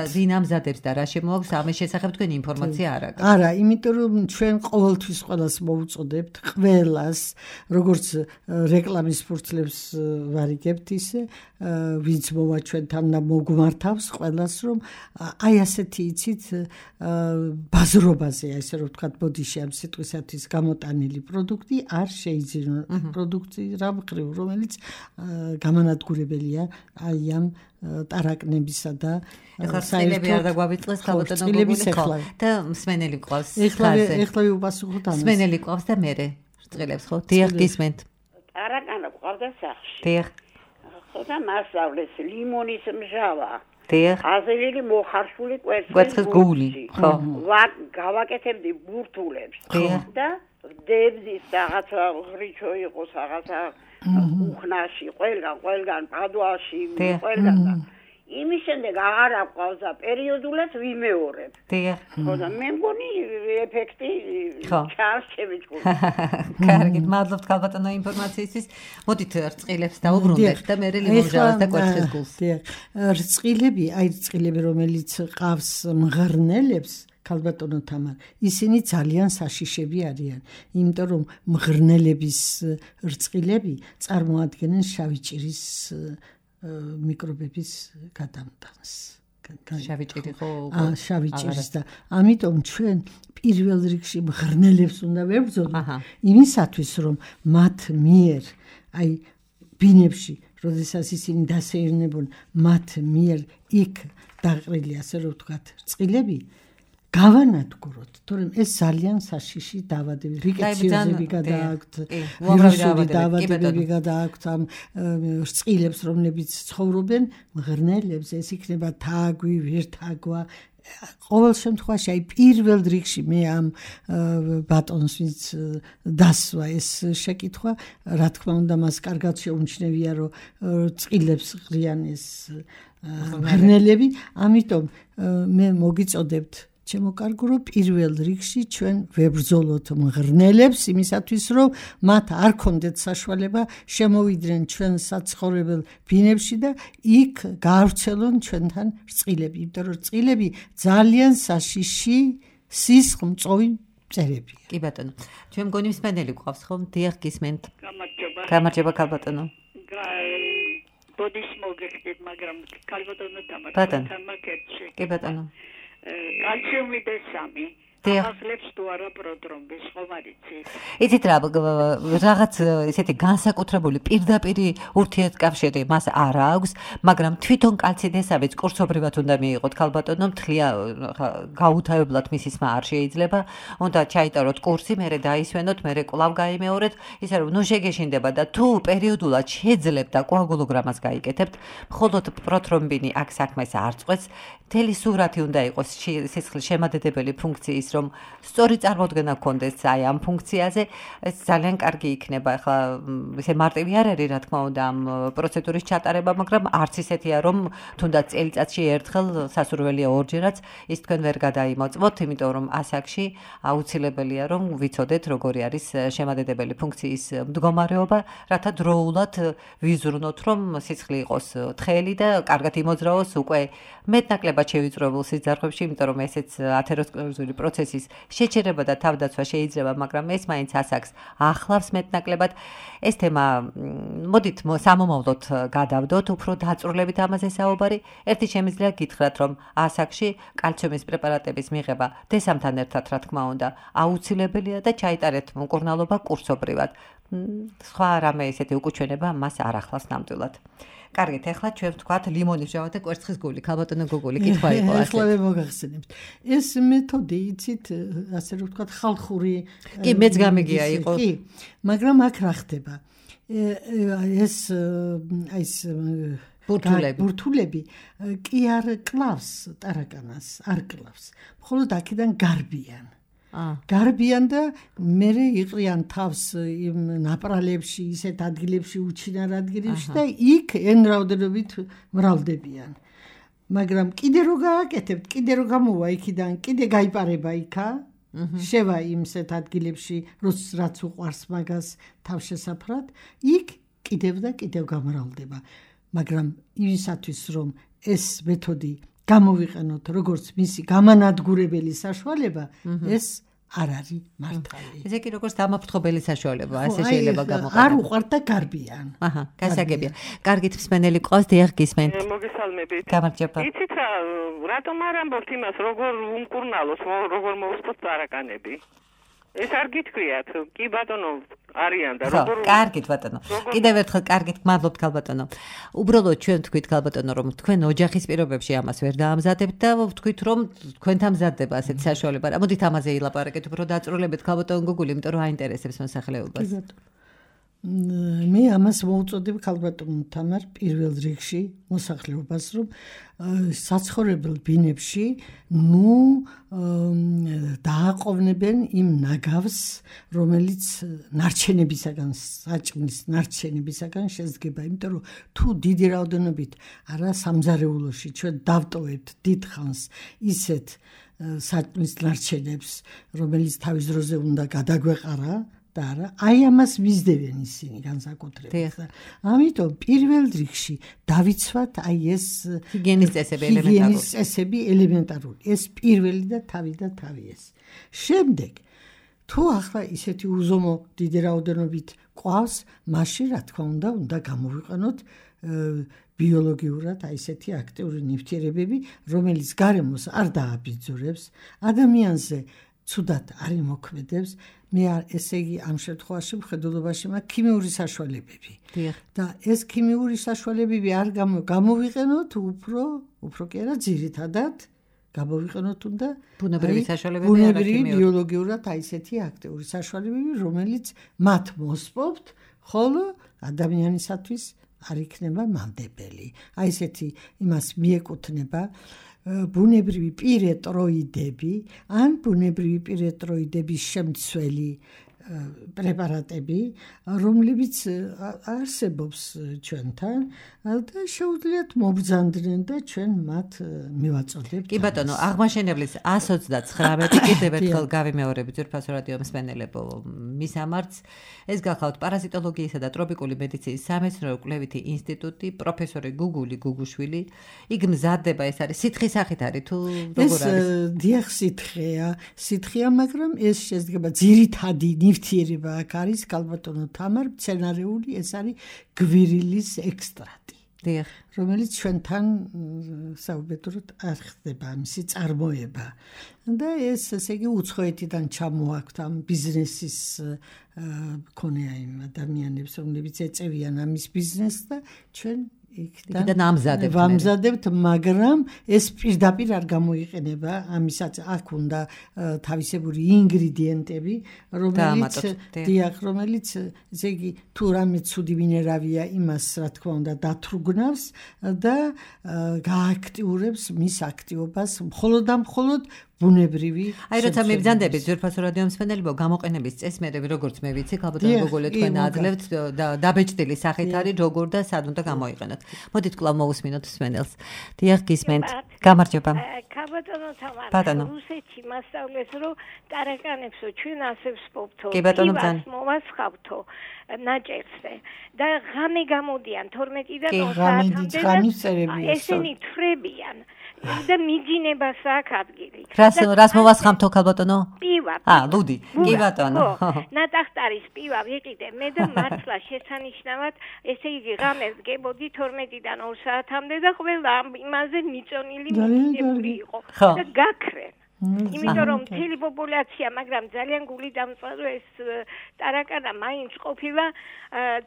და ვინ ამზადებს და რა შემოაქვს ამის შესახებ თქვენი ინფორმაცია არ აქვს. არა, იმიტომ რომ ჩვენ ყოველთვის ყველას მოუწოდებთ, ყველას, როგორც რეკლამის ფურცლებს ვარიგებთ ისე, ვინც მოვა ჩვენთან და მოგმართავს ყველას, რომ აი ასეთი იცით ბაზრობაზე, ესე რომ ვთქვათ, ბოდიში ამ სიტყვისათვის გამოტანილი პროდუქტი არ შეიძლება პროდუქტი რა მხრივ, რომელიც გამანადგურებელია აი ამ ტარაკნებისა და საერთოდ არ დაგვავიწყდეს ქალბატონო გოგული ხო და მსმენელი ყავს ხაზე. ეხლა ვიპასუხოთ ამას. მსმენელი ყავს და მე რწყილებს ხო? დიახ, გისმენთ. ტარაკანა ყავდა სახში. დიახ. ხო და მასწავლეს ლიმონის მჟავა. დიახ. აზერილი მოხარშული კვერცხის გული, ხო. გავაკეთებდი ბურთულებს და დებდის რაღაცა ღრიჩო იყოს რაღაცა უხნაში, ყველგან პადუაში, ყველგან და იმის შემდეგ აღარ აყვავს და პერიოდულად ვიმეორებ. დიახ. ხო და მე მგონი ეფექტი ჩანს ჩემი ჯგუფი. კარგი, მადლობთ ქალბატონო ინფორმაციისთვის. მოდით რწყილებს დავუბრუნდეთ და მე ლიმონჟავას და კვერცხის გულს. დიახ. რწყილები, აი რწყილები, რომელიც ყავს მღრნელებს ქალბატონო თამარ, ისინი ძალიან საშიშები არიან, იმიტომ რომ მღრნელების რწყილები წარმოადგენენ შავი ჭირის მიკრობების გადამტანს. შავი ჭირი ხო? შავი ჭირის და ამიტომ ჩვენ პირველ რიგში მღრნელებს უნდა ვებრძოლოთ იმისათვის, რომ მათ მიერ აი ბინებში, როდესაც ისინი დასეირნებონ, მათ მიერ იქ დაყრილი, ასე რომ ვთქვათ, რწყილები გავანადგუროთ, თორემ ეს ძალიან საშიში დავადებები, რიკეციოზები გადააქვთ, ვირუსული დავადებები გადააქვთ ამ რწყილებს, რომლებიც ცხოვრობენ მღრნელებს, ეს იქნება თაგვი, ვირთაგვა. ყოველ შემთხვევაში აი პირველ რიგში მე ამ ბატონს ვინც დასვა ეს შეკითხვა, რა თქმა უნდა, მას კარგად შეუმჩნევია, რომ რწყილებს ღრიან ეს მღრნელები, ამიტომ მე მოგიწოდებთ ჩემო კარგო, პირველ რიგში ჩვენ ვებრძოლოთ მღრნელებს იმისათვის, რომ მათ არ ქონდეთ საშუალება შემოვიდნენ ჩვენ საცხოვრებელ ბინებში და იქ გაავრცელონ ჩვენთან რწყილები, იმიტომ რომ რწყილები ძალიან საშიში სისხლმწოვი მწერებია. კი ბატონო. ჩვენ მგონი მსმენელი გვყავს ხო? დიახ, გისმენთ. გამარჯობა ქალბატონო. ბოდიში მოგეხდით, მაგრამ ქალბატონო თამარ. კი ბატონო. კალციუმი D3 ახლებს თუ არა პროტრომბის ხომარიცი. იცით რა, რაღაც ესეთი განსაკუთრებული პირდაპირ ურთიერთკავშირი მას არ აქვს, მაგრამ თვითონ კალცი D3-ს კურსობრივად უნდა მიიღოთ ქალბატონო, მთლია გაუთავებლად მისი სმა არ შეიძლება, უნდა ჩაიტაროთ კურსი, მერე დაისვენოთ, მერე კვლავ გაიმეორეთ, ისე რომ ნუ შეგეშინდება და თუ პერიოდულად შეძლებთ და კოაგულოგრამას გაიკეთებთ, მხოლოდ პროტრომბინი აქ საქმეს არ წყვეტს, მთელი სურათი უნდა იყოს სისხლის შემადედებელი ფუნქციის, რომ სწორი წარმოდგენა გქონდეს აი ამ ფუნქციაზე, ეს ძალიან კარგი იქნება. ახლა ესე მარტივი არ არის, რა თქმა უნდა, ამ პროცედურის ჩატარება, მაგრამ არც ისეთია, რომ თუნდაც წელიწადში ერთხელ სასურველია ორჯერაც ის თქვენ ვერ გადაიმოწმოთ, იმიტომ რომ ასაკში აუცილებელია, რომ ვიცოდეთ, როგორი არის შემადედებელი ფუნქციის მდგომარეობა, რათა დროულად ვიზრუნოთ, რომ სისხლი იყოს თხელი და კარგად იმოძრაოს უკვე მეტნაკლებად შევიწროებულ სიძარღვებში, იმიტომ რომ ესეც ათეროსკლეროზული პროცესი პროცესის შეჩერება და თავდაცვა შეიძლება, მაგრამ ეს მაინც ასაკს ახლავს მეტნაკლებად. ეს თემა მოდით სამომავლოდ გადავდოთ, უფრო დაწვრილებით ამაზე საუბარი. ერთი შემიძლია გითხრათ, რომ ასაკში კალციუმის პრეპარატების მიღება დესამთან ერთად, რა თქმა უნდა, აუცილებელია და ჩაიტარეთ მკურნალობა კურსობრივად. სხვა რამე ესეთი უკუჩვენება მას არ ახლავს ნამდვილად. კარგით, ახლა ჩვენ ვთქვათ ლიმონის ჟავა და კვერცხის გული, ქალბატონო გოგული, კითხვა იყო ასე. ახლა მოგახსენებთ. ეს მეთოდი იცით, ასე რომ ვთქვათ, ხალხური კი, მეც გამიგია იყო. კი, მაგრამ აქ რა ხდება? ეს ბურთულები კი არ კლავს ტარაკანას, არ კლავს. მხოლოდ აქედან გარბიან. გარბიან და მერე იყრიან თავს იმ ნაპრალებში, ისეთ ადგილებში, უჩინარ ადგილებში და იქ εν რაოდენობით მრავლდებიან. მაგრამ კიდე რო გააკეთებთ, კიდე რო გამოვა იქიდან, კიდე გაიპარება იქა, შევა იმსეთ ადგილებში, რაც უყვარს მაგას თავშესაფრად, იქ კიდევ და კიდევ გამრავლდება. მაგრამ იმისათვის რომ ეს მეთოდი გამოვიყენოთ როგორც მისი გამანადგურებელი საშუალება, ეს არ არის მართალი. ესე კი როგორც დამაფრთხობელი საშუალება, ასე შეიძლება გამოყენო. არ უყვართ და გარბიან. აჰა, გასაგებია. კარგით, მსმენელი ყავს, დიახ, გისმენთ. მოგესალმებით. გამარჯობა. იცით რა, რატომ არ ამბობთ იმას, როგორ უმკურნალოს, როგორ მოусწოთ ტარაკანები? ეს არ გითქვიათ, კი ბატონო, არიან და როგორ კარგით ბატონო. კიდევ ერთხელ კარგით, მადლობთ ქალბატონო. უბრალოდ ჩვენ თქვით ქალბატონო, რომ თქვენ ოჯახის პირობებში ამას ვერ დაამზადებთ და ვთქვით, რომ თქვენთან მზადდება ასეთი საშუალება. მოდით ამაზე ილაპარაკეთ, უფრო დაწვრილებით ქალბატონო გოგული, იმიტომ რომ აინტერესებს მოსახლეობას. მე ამას მოუწოდებ ქალბატონო თამარ პირველ რიგში მოსახლეობას, რომ საცხოვრებელ ბინებში დააყოვნებენ იმ ნაგავს, რომელიც ნარჩენებისაგან, საჭმლის ნარჩენებისაგან შედგება, იმიტომ რომ თუ დიდი რაოდენობით არა სამზარეულოში ჩვენ დავტოვებთ დიდხანს ისეთ საჭმლის ნარჩენებს, რომელიც თავის დროზე უნდა გადაგვეყარა და არა, აი ამას მისდევენ ისინი განსაკუთრებით. ამიტომ პირველ რიგში დავიცვათ აი ეს ჰიგიენის წესები ელემენტარული. ეს პირველი და თავი ეს. შემდეგ თუ ახლა ისეთი უზომო დიდი რაოდენობით ყავს, მაშინ რა თქმა უნდა გამოვიყენოთ ბიოლოგიურად აი ესეთი აქტიური ნივთიერებები, რომელიც გარემოს არ დააბიძურებს, ადამიანზე ცუდად არ იმოქმედებს. მე ესე იგი ამ შემთხვევაში მხედველობაში მაქვს ქიმიური საშუალებები. და ეს ქიმიური საშუალებები არ გამოვიყენოთ უფრო კი არა ძირითადად გამოვიყენოთ უნდა ბუნებრივი საშუალებები, ბუნებრივი ბიოლოგიურად აი ესეთი აქტიური საშუალებები, რომელიც მათ მოსპობთ, ხოლო ადამიანისათვის არ იქნება მანდებელი. აი ესეთი იმას მიეკუთვნება ბუნებრივი პირეტროიდები ან ბუნებრივი პირეტროიდების შემცველი პრეპარატები, რომლებიც არსებობს ჩვენთან და შეუძლიათ მობრძანდნენ და ჩვენ მათ მივაწოდებთ. კი ბატონო, აღმაშენებლის 129 კიდევ ერთხელ გავიმეორებით ძვირფასო რადიო მსმენელებო, მისამართს ეს გახავთ პარაზიტოლოგიისა და ტროპიკული მედიცინის სამეცნიერო კვლევითი ინსტიტუტი, პროფესორი გუგული გუგუშვილი. იქ მზადდება, ეს არის სითხის სახით არის თუ როგორ არის? დიახ, სითხეა, მაგრამ ეს შედგება ძირითადი ნივთიერება აქ არის ქალბატონო თამარ, მცენარეული, ეს არის გვირილის ექსტრაქტი, რომელიც ჩვენთან საუბედუროდ არ ხდება მისი წარმოება. და ეს ესე იგი უცხოეთიდან ჩამოაქვთ ამ ბიზნესის მქონეა იმ ადამიანებს, რომლებიც ეწევიან ამის ბიზნესს და ჩვენ იქიდან ამზადებთ, მაგრამ ეს პირდაპირ არ გამოიყენება, ამისაც აქ უნდა თავისებური ინგრედიენტები, რომელიც ესე იგი თუ რამე ცუდი მინერავია, იმას რა თქმა უნდა დათრუგნავს და გააქტიურებს მის აქტივობას მხოლოდ და მხოლოდ ბუნებრივი. აი როცა მიბრძანდებით ძვირფასო რადიო მსმენელებო, გამოყენების წესმერები როგორც მე ვიცი, ქალბატონო გოგოლე თქვენ აძლევთ დაბეჭდილი სახით არის როგორ და სად უნდა გამოიყენოთ. მოდით კვლავ მოვუსმინოთ მსმენელს. დიახ, გისმენთ. გამარჯობა. ქალბატონო თამარ, რუსეთში მასწავლეს, რომ ტარაკანებსო ჩვენ ასე ვსპობთო. კი ბატონო ძალიან. მოვასხავთო ნაჭერსზე და ღამე გამოდიან 12-დან 20-მდე. ესენი თხრებიან. და მიძინებას აქვს ადგილი. რა რას მოვასხამთო ქალბატონო? პივა. ლუდი. კი ბატონო. ნატახტარის პივა ვიყიდე მე და მართლა შესანიშნავად, ესე იგი ღამეს გებოდი 12-დან 2 საათამდე და ყველა იმაზე მიწონილი მიდებული იყო და გაქრენ. იმიტომ რომ მთელი პოპულაცია, მაგრამ ძალიან გული დამწვარო ეს ტარაკანა მაინც ყოფილა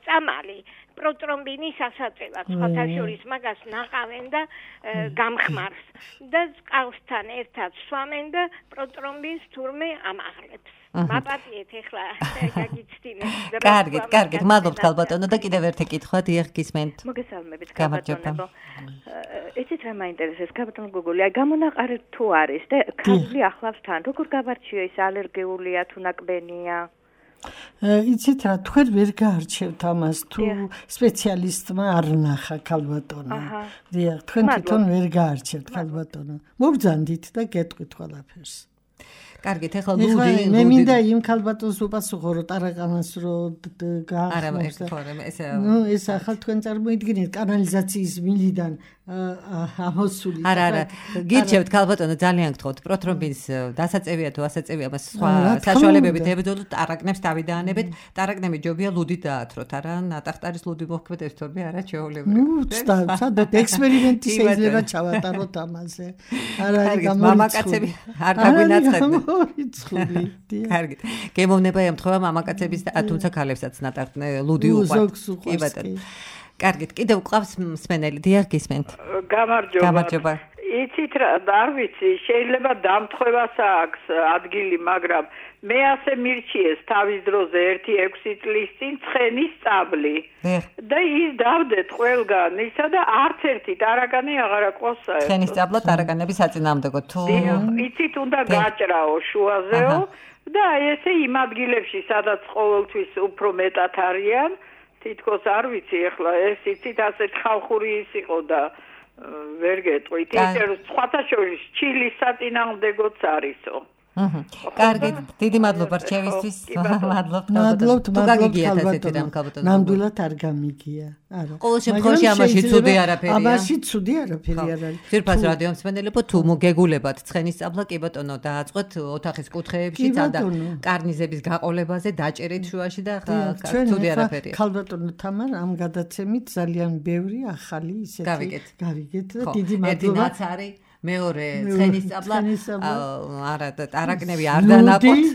წამალი. პროტრომბინის ასაწევად, სხვათა შორის მაგას ნაყავენ და გამხმარს და წყალსთან ერთად სვამენ და პროტრომბინს თურმე ამაღლებს. მაპატიეთ ეხლა გაგიცდინეთ. კარგით, მადლობთ ქალბატონო და კიდევ ერთი კითხვა დიახ გისმენთ. მოგესალმებით ქალბატონო. იცით რა მაინტერესებს ქალბატონო გოგოლი, აი გამონაყარი თუ არის და ქალი ახლავს თან, როგორ გავარჩიო ის ალერგიულია თუ ნაკბენია? იცით რა, თქვენ ვერ გაარჩევთ ამას თუ სპეციალისტმა არ ნახა ქალბატონო. დიახ, თქვენ თვითონ ვერ გაარჩევთ ქალბატონო. მობრძანდით და გეტყვით ყველაფერს. კარგით, ეხლა ლუდი. მე მინდა იმ ქალბატონს უპასუხო, რომ ტარაკანას რო გაახმოვს. ეს ახალ თქვენ წარმოიდგინეთ კანალიზაციის მილიდან ამოსული. არა, გირჩევთ ქალბატონო, ძალიან გთხოვთ, პროტრომბინს დასაწევია თუ ასაწევია, მას სხვა საშუალებებით ებრძოლოთ, ტარაკნებს დავიდაანებეთ, ტარაკნები ჯობია ლუდით დაათროთ, არა, ნატახტარის ლუდი მოხმედებს თორე არა ჩვეულებრივი. სადაც ექსპერიმენტი შეიძლება ჩავატაროთ ამაზე. არა, მამაკაცები არ დაგვინაწყებენ. კარგი. გემოვნება ემთხვევა მამაკაცების და თუმცა ქალებსაც ლუდი უყვართ. კი ბატონო. კარგით, კიდევ ყავს მსმენელი, დიახ გისმენთ. გამარჯობა. იცით რა, არ ვიცი, შეიძლება დამთხვევას აქვს ადგილი, მაგრამ მე ასე მირჩიეს თავის დროზე 1-6 წლის წინ ცხენის წაბლი. და ის დავდეთ ყველგან, ისა და არც ერთი ტარაკანი აღარ აყვავს საერთოდ. ცხენის წაბლა ტარაკანების საწინააღმდეგო თუ იცით უნდა გაჭრაო შუაზეო და ესე იმ ადგილებში, სადაც ყოველთვის უფრო მეტად არიან, თითქოს არ ვიცი ახლა ეს იცით ასეთ ხალხური ის იყო და ვერ გეტყვით ისე რომ სხვათა შორის ჩილის საწინააღმდეგოც არისო. კარგი, დიდი მადლობა რჩევისთვის. მადლობთ ქალბატონო. ნამდვილად არ გამიგია. არა. ყოველ შემთხვევაში ამაში ცუდი არაფერია. ამაში ცუდი არაფერი არ არის. ძირფას რადიო მსმენელებო, თუ მოგეგულებათ ცხენის წაბლა, კი ბატონო, დააწყვეთ ოთახის კუთხეებში და კარნიზების გაყოლებაზე დაჭერით შუაში და ცუდი არაფერია. ქალბატონო თამარ, ამ გადაცემით ძალიან ბევრი ახალი ისეთი გავიგეთ და დიდი მადლობა. მეორე ცხენის წაბლა არა ტარაკნები არ დანაყოთ.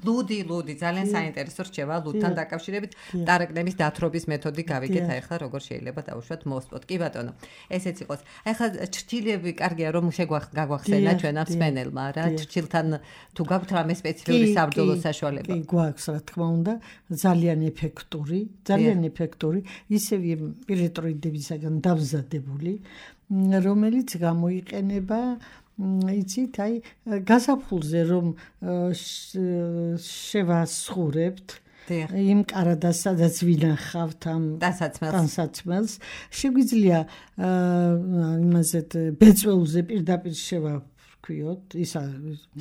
ლუდი ძალიან საინტერესო რჩევა ლუდთან დაკავშირებით ტარაკნების დათრობის მეთოდი გავიგეთ ახლა როგორ შეიძლება დავუშვათ მოსპოთ. კი ბატონო, ესეც იყოს. ახლა ჩრჩილები კარგია რომ გაგვახსენა ჩვენ ამ მსმენელმა რა ჩრჩილთან თუ გაქვთ რამე სპეციფიური საბრძოლო საშუალება. კი გვაქვს რა თქმა უნდა ძალიან ეფექტური ისევ პირეტროიდებისაგან დამზადებული რომელიც გამოიყენება იცით აი გაზაფხულზე რომ შევასხურებთ იმ კარადას სადაც ვინახავთ ამ ტანსაცმელს შეგვიძლია იმაზე ბეწვეულზე პირდაპირ შევაქვიოთ ისა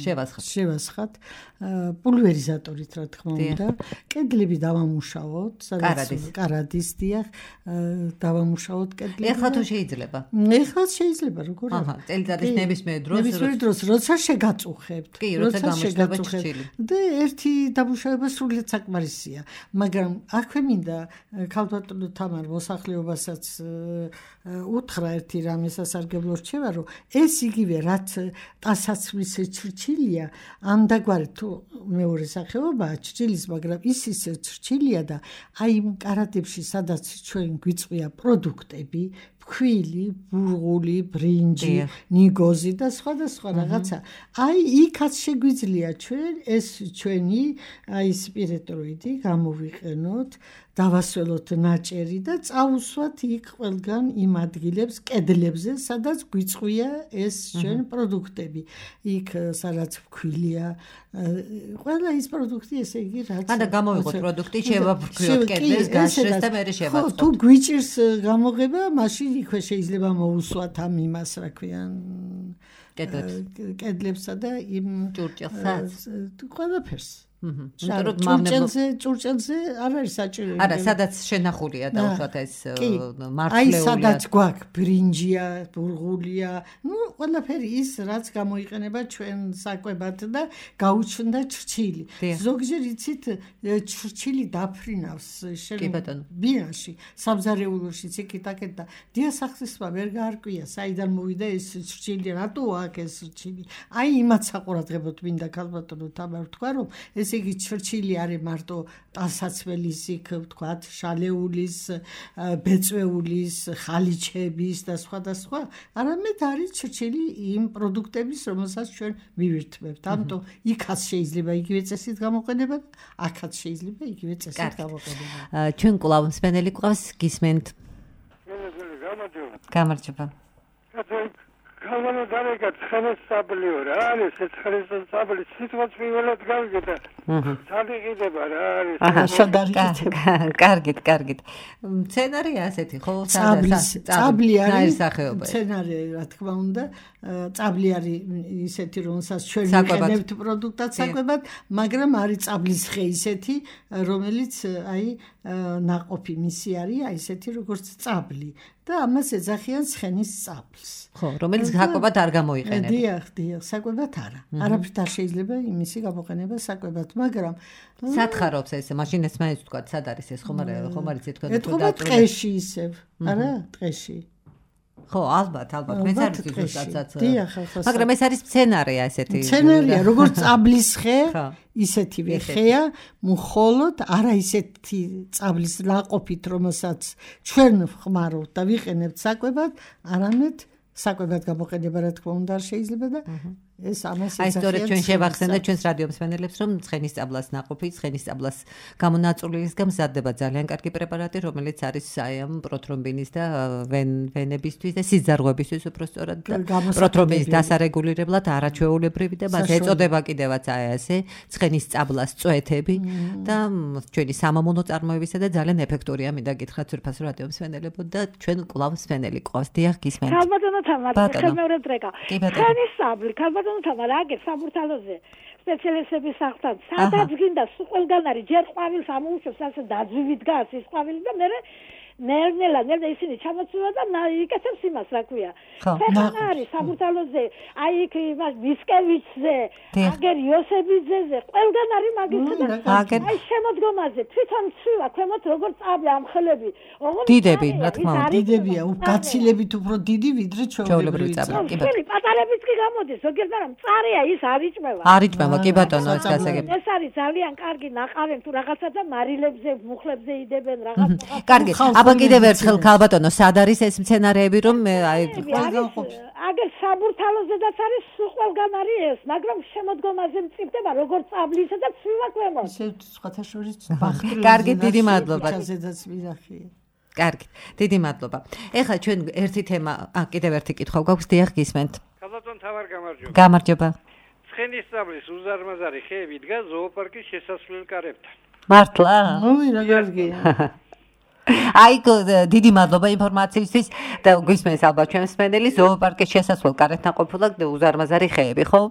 შევასხათ პულვერიზატორით რა თქმა უნდა კედლები დავამუშავოთ კარადის დიახ დავამუშავოთ კედლები ეხლა თუ შეიძლება როგორ აჰა წელიწადის ნებისმიერ დროს როცა შეგაწუხებთ კი როცა გამოჩნდება ჩრჩილი და ერთი დამუშავება სრულიად საკმარისია მაგრამ აქვე მინდა ქალბატონო თამარ მოსახლეობასაც უთხრა ერთი რამე სასარგებლო რჩევა რომ ეს იგივე რაც ტანსაცმლის ჩრჩილია ამდაგვარი თუ მეორე სახეობაა ჩრჩილის, მაგრამ ის ისე ჩრჩილია და აი იმ კარადებში, სადაც ჩვენ გვიწვია პროდუქტები, ფქვილი, ბურღული, ბრინჯი, ნიგოზი და სხვადასხვა რაღაცა. აი იქაც შეგვიძლია ჩვენ ეს ჩვენი აი სპირიტოიდი გამოვიყენოთ, დავასველოთ ნაჭერი და წავუსვათ იქ ყველგან იმ ადგილებს, კედლებზე, სადაც გვიწვია ეს ჩვენ პროდუქტები. იქ სადაც ფქვილია, ყველა ის პროდუქტი ესე იგი რაც ანუ გამოვიღოთ პროდუქტი, შევაფრქვიოთ კედლებს, გაშრეს და მერე შევაწყოთ. თუ გვიჭირს გამოღება, მაშინ იქვე შეიძლება მოусვათ ამ იმას, რა ქვიან, კედლებსა და იმ ჭურჭელსაც. ყველაფერს. ჭურჭელზე არ არის საჭირო. არა, სადაც შენახულია დაუშვათ ეს მართლეულია. აი, სადაც გვაქვს ბრინჯია, ბურღულია, ყველაფერი ის, რაც გამოიყენება ჩვენ საკვებად და გაუჩნდა ჩრჩილი. ზოგჯერ იცით, ჩრჩილი დაფრინავს ბიაში, სამზარეულოში ციკიტაკეთ და დიასახლისმა ვერ გაარკვია, საიდან მოვიდა ეს ჩრჩილი, რატო აქ ეს ჩრჩილი. აი, იმათ საყურადღებოდ მინდა ქალბატონო თამარ თქვა, რომ ესე იგი ჩრჩილი არის მარტო ტანსაცმელის იქ ვთქვათ, შალეულის, ბეწვეულის, ხალიჩების და სხვა, არამედ არის ჩრჩილი იმ პროდუქტების, რომელსაც ჩვენ მივირთმევთ. ამიტომ იქაც შეიძლება იგივე წესით გამოყენება, აქაც შეიძლება იგივე წესით გამოყენება. ჩვენ კვლავ მსმენელი გვყავს, გისმენთ. გამარჯობა. Kalmana darega ცხენეს საბლიო რა არის ეს ცხენეს საბლი სიტყვაც პირველად გავიგე. სადიღიდება რა არის. აჰა, შედარგეთ. კარგით. სცენარია ასეთი ხო? წაბლი არის სცენარი რა თქმა უნდა. წაბლი არის ისეთი რომელსაც ჩვენ ვიყენებთ პროდუქტად საკვებად, მაგრამ არის წაბლის ხე ისეთი, რომელიც აი ნაყოფი მისი არის აი ისეთი როგორც წაბლი და ამას ეძახიან ცხენის წაბლს. ხო, რომელიც საკვებად არ გამოიყენება. დიახ, საკვებად არა. არაფრით არ შეიძლება იმისი გამოყენება საკვებად, მაგრამ სათხარობს ეს, მაშინ ეს მაინც თქვა, სად არის ეს ხომ არის თქვა. ეთქობა ტყეში ისევ, არა, ტყეში. ხო, ალბათ, მეც არ ვიცი ზუსტად. მაგრამ ეს არის სცენარია ესეთი. სცენარია, როგორც წაბლის ხე, ისეთივე ხეა, მხოლოდ არა ისეთი წაბლის ნაყოფით, რომელსაც ჩვენ ვხმარობთ და ვიყენებთ საკვებად, არამედ საკვებად გამოყენება რა თქმა უნდა არ შეიძლება და ეს ამას აი სწორედ ჩვენ შევახსენეთ ჩვენს რადიო მსმენელებს რომ ცხენის წაბლას ნაყოფი ცხენის წაბლას გამონაწილისგან მზადდება ძალიან კარგი პრეპარატი რომელიც არის აი ამ პროთრომბინის და ვენებისთვის და სიძარღვებისთვის უფრო სწორად პროთრომბინის დასარეგულირებლად არაჩვეულებრივი და მას ეწოდება კიდევაც აი ასე ცხენის წაბლას წვეთები და ჩვენი სამამულო წარმოებისა და ძალიან ეფექტურია მინდა გითხრათ ძვირფას რადიო მსმენელებო და ჩვენ კვლავ მსმენელი ყავს დიახ გისმენთ ქალბატონო თამარ ხელმეორედ რეკა ცხენის წაბლი თამარ აგერ საბურთალოზე სპეციალისტების სახლთან სადაც გინდა ყველგან არის ჯერ ყვავილს ამოუშვებს ასე დაძვივით გას ის ყვავილი და მე ნერნელა ისინი ჩამოწვა და იკეთებს იმას რა ქვია ხან არის საბურთალოზე აი იქ ვისკევიჩზე აგერ იოსებიძეზე ყველგან არის მაგისტრი აი შემოდგომაზე თვითონ ცვივა ქვემოთ როგორც წაბლი ამხელები დიდები რა თქმა უნდა დიდებია გაცილებით უფრო დიდი ვიდრე ჩვეულებრივი წაბლი პატარებიც კი გამოდის ზოგიერთ მაგრამ წარია ის არიჭმევა კი ბატონო ეს გასაგები ეს არის ძალიან კარგი ნაყავენ თუ რაღაცა და მარილებზე მუხლებზე იდებენ რაღაც კარგი აბა კიდევ ერთხელ ქალბატონო სად არის ეს სცენარები რომ აი აგერ საბურთალოზედაც არის ყველგან არის ეს მაგრამ შემოდგომაზე მწიფდება როგორც წაბლისა და ცვივა ქვემოთ ისე სხვათა შორის ბახტრი კარგი დიდი მადლობა ზედაც ვირახია კარგი დიდი მადლობა ეხლა ჩვენ ერთი თემა კიდევ ერთი კითხვა გვაქვს დიახ გისმენთ ქალბატონ თამარ გამარჯობა ცხენის წაბლის უზარმაზარი ხეები დგას ზოოპარკის შესასვლელ კარებთან მართლა ой რა კარგია აი დიდი მადლობა ინფორმაციისთვის და გვისმენს ალბათ ჩვენს მსმენელი ზოოპარკის შესასვლელ კარებთან ყოფილა უზარმაზარი ხეები ხო?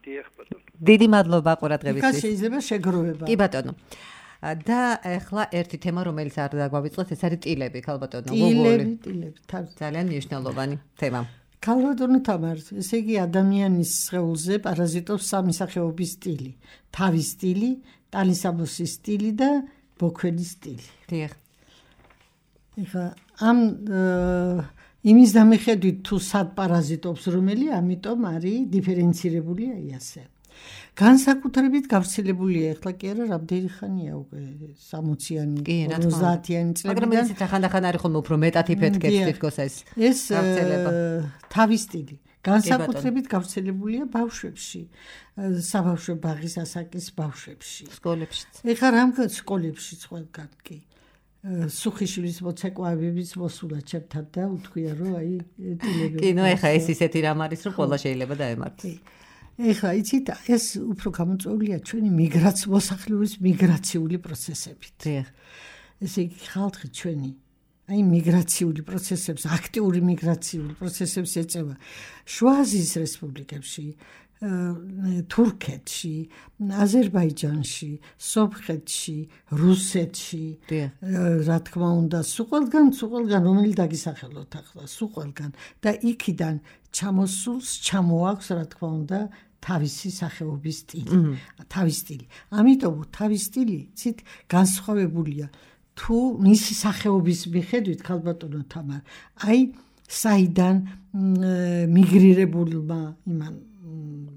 დიახ ბატონო. დიდი მადლობა ყურადღებისთვის. იქ შეიძლება შეგროვება. კი ბატონო. და ახლა ერთი თემა რომელიც არ დაგვავიწყოთ ეს არის ტილები ქალბატონო. ტილები ძალიან მნიშვნელოვანი თემა. ქალბატონო თამარ, ესე იგი ადამიანის სხეულზე პარაზიტობს სამი სახეობის ტილი. თავის ტილი, ტალისაბოსის ტილი და ბოქვენის ტილი. დიახ. ეხა ამ იმის დამიხედვით თუ სად პარაზიტობს რომელი, ამიტომ არის დიფერენცირებული აი ასე. განსაკუთრებით გავრცელებულია ეხლა კი არა რამდენი ხანია უკვე 60-იანი 50-იანი წლებიდან. მაგრამ ისიც ახანდახან არის ხოლმე უფრო მეტად იფეთქებს თითქოს ეს გავრცელება. თავის ტილი განსაკუთრებით გავრცელებულია ბავშვებში, საბავშვო ბაღის ასაკის ბავშვებში. სკოლებშიც. ეხლა რამგან სკოლებშიც ყველგან კი. სუხიშვილის მოცეკვავების მოსულა ჩემთან და უთქვია რომ აი ტილები. კი, ნუ ეხლა ეს ისეთი რამ არის რომ ყველა შეიძლება დაემართოს. ეხლა იცით ეს უფრო გამოწვეულია ჩვენი მოსახლეობის მიგრაციული პროცესებით. დიახ. ესე იგი ხალხი ჩვენი აი მიგრაციული პროცესებს, აქტიური მიგრაციული პროცესებს ეწევა. შუა აზიის რესპუბლიკებში თურქეთში, აზერბაიჯანში, სომხეთში, რუსეთში, რა თქმა უნდა, სულ ყველგან რომელი დაგისახელოთ ახლა, სულ ყველგან და იქიდან ჩამოსულს ჩამოაქვს, რა თქმა უნდა, თავისი სახეობის სტილი, თავის სტილი. ამიტომ თავის სტილი ცით განსხვავებულია თუ მისი სახეობის მიხედვით ქალბატონო თამარ, აი საიდან მიგრირებულმა იმან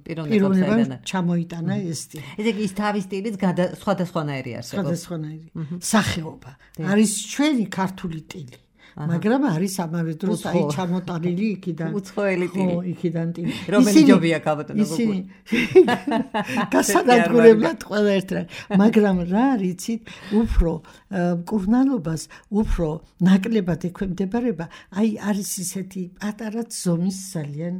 პიროვნებამ ჩამოიტანა ეს სტილი. ესე იგი ის თავის სტილიც სხვადასხვანაირი არსებობს. სხვადასხვანაირი სახეობა. არის ჩვენი ქართული სტილი. მაგრამ არის ამავე დროს აი ჩამოტანილი იქიდან უცხოელი ტილი. ხო, იქიდან ტილი. რომელი ჯობია ქალბატონო გოგო. ისინი გასანადგურებლად ყველა ერთად. მაგრამ რა არიცით, უფრო მკურნალობას უფრო ნაკლებად ექვემდებარება, აი არის ისეთი პატარა ზომის ძალიან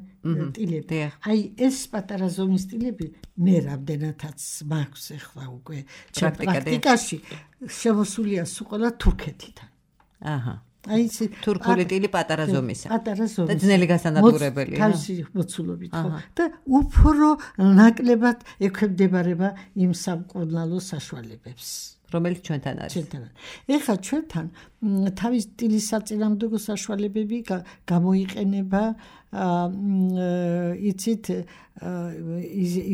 ტილები. აი ეს პატარა ზომის ტილები მე რამდენადაც მაქვს ახლა უკვე პრაქტიკაში შემოსულია სულ ყველა თურქეთიდან. აჰა. აი ეს თურქული ტილი პატარა ზომისა. პატარა ზომისა. და ძნელი გასანადგურებელია. თავისი მოცულობით ხო. და უფრო ნაკლებად ექვემდებარება იმ სამკურნალო საშუალებებს. რომელიც ჩვენთან არის. ეხლა ჩვენთან თავის ტილის საწინააღმდეგო საშუალებები გამოიყენება იცით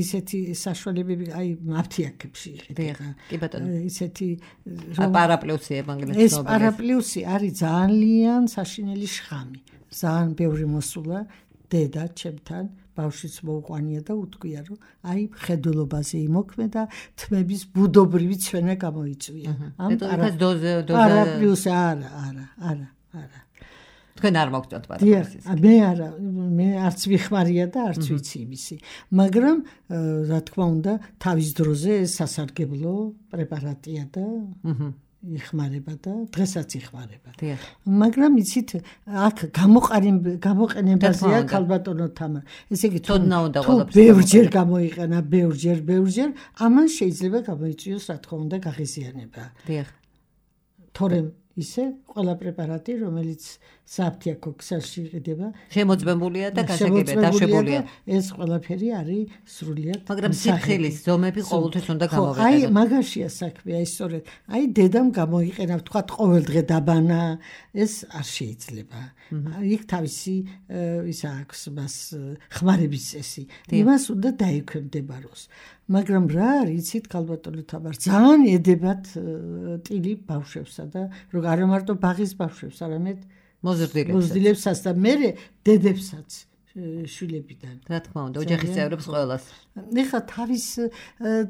ისეთი საშუალებები აი აფთიაქებში იყიდება. კი ბატონო. ისეთი პარაპლუსი ევანგელისტ ეს პარაპლუსი არის ძალიან საშინელი შხამი. ძალიან ბევრი მოსულა დედა ჩემთან ბავშვის მოუყვანია და უთქვია რომ აი ხედულობაზე იმოქმედა თმების ბუდობრივი ცვენა გამოიწვია. ამ პარაპლუსი არა. თქვენ არ მოგწონთ პარაპლუსის. მე არც ვიხმარია და არც ვიცი იმისი. მაგრამ რა თქმა უნდა თავის დროზე ეს სასარგებლო პრეპარატია და იხმარება და დღესაც იხმარება. მაგრამ იცით აქ გამოყენებაზეა ქალბატონო თამარ. ესე იგი თუ ბევრჯერ გამოიყენა, ბევრჯერ, ამან შეიძლება გამოიწვიოს რა თქმა უნდა გაღიზიანება. თორემ ისე ყველა პრეპარატი, რომელიც საფთიაქო ქსელში იყიდება, შემოწმებულია და დაშვებულია. ეს ყველაფერი არის სრულიად. მაგრამ სიფხილის ზომები ყოველთვის უნდა გამოვიყენო. აი მაგაშია საქმე, აი სწორედ. აი დედამ გამოიყენა, თქვა ყოველდღე დაბანა, ეს არ შეიძლება. იქ თავისი ისა აქვს მას ხმარების წესი. იმას უნდა დაექვემდებაროს. მაგრამ რა არის, იცით ქალბატონო თამარ, ძალიან ედებათ ტილი ბავშვებსა და არა მარტო ბაღის ბავშვებს, არამედ მოზრდილებსაც და მერე დედებსაც შვილებიდან. რა თქმა უნდა, ოჯახის წევრებს ყველას. ეხლა თავის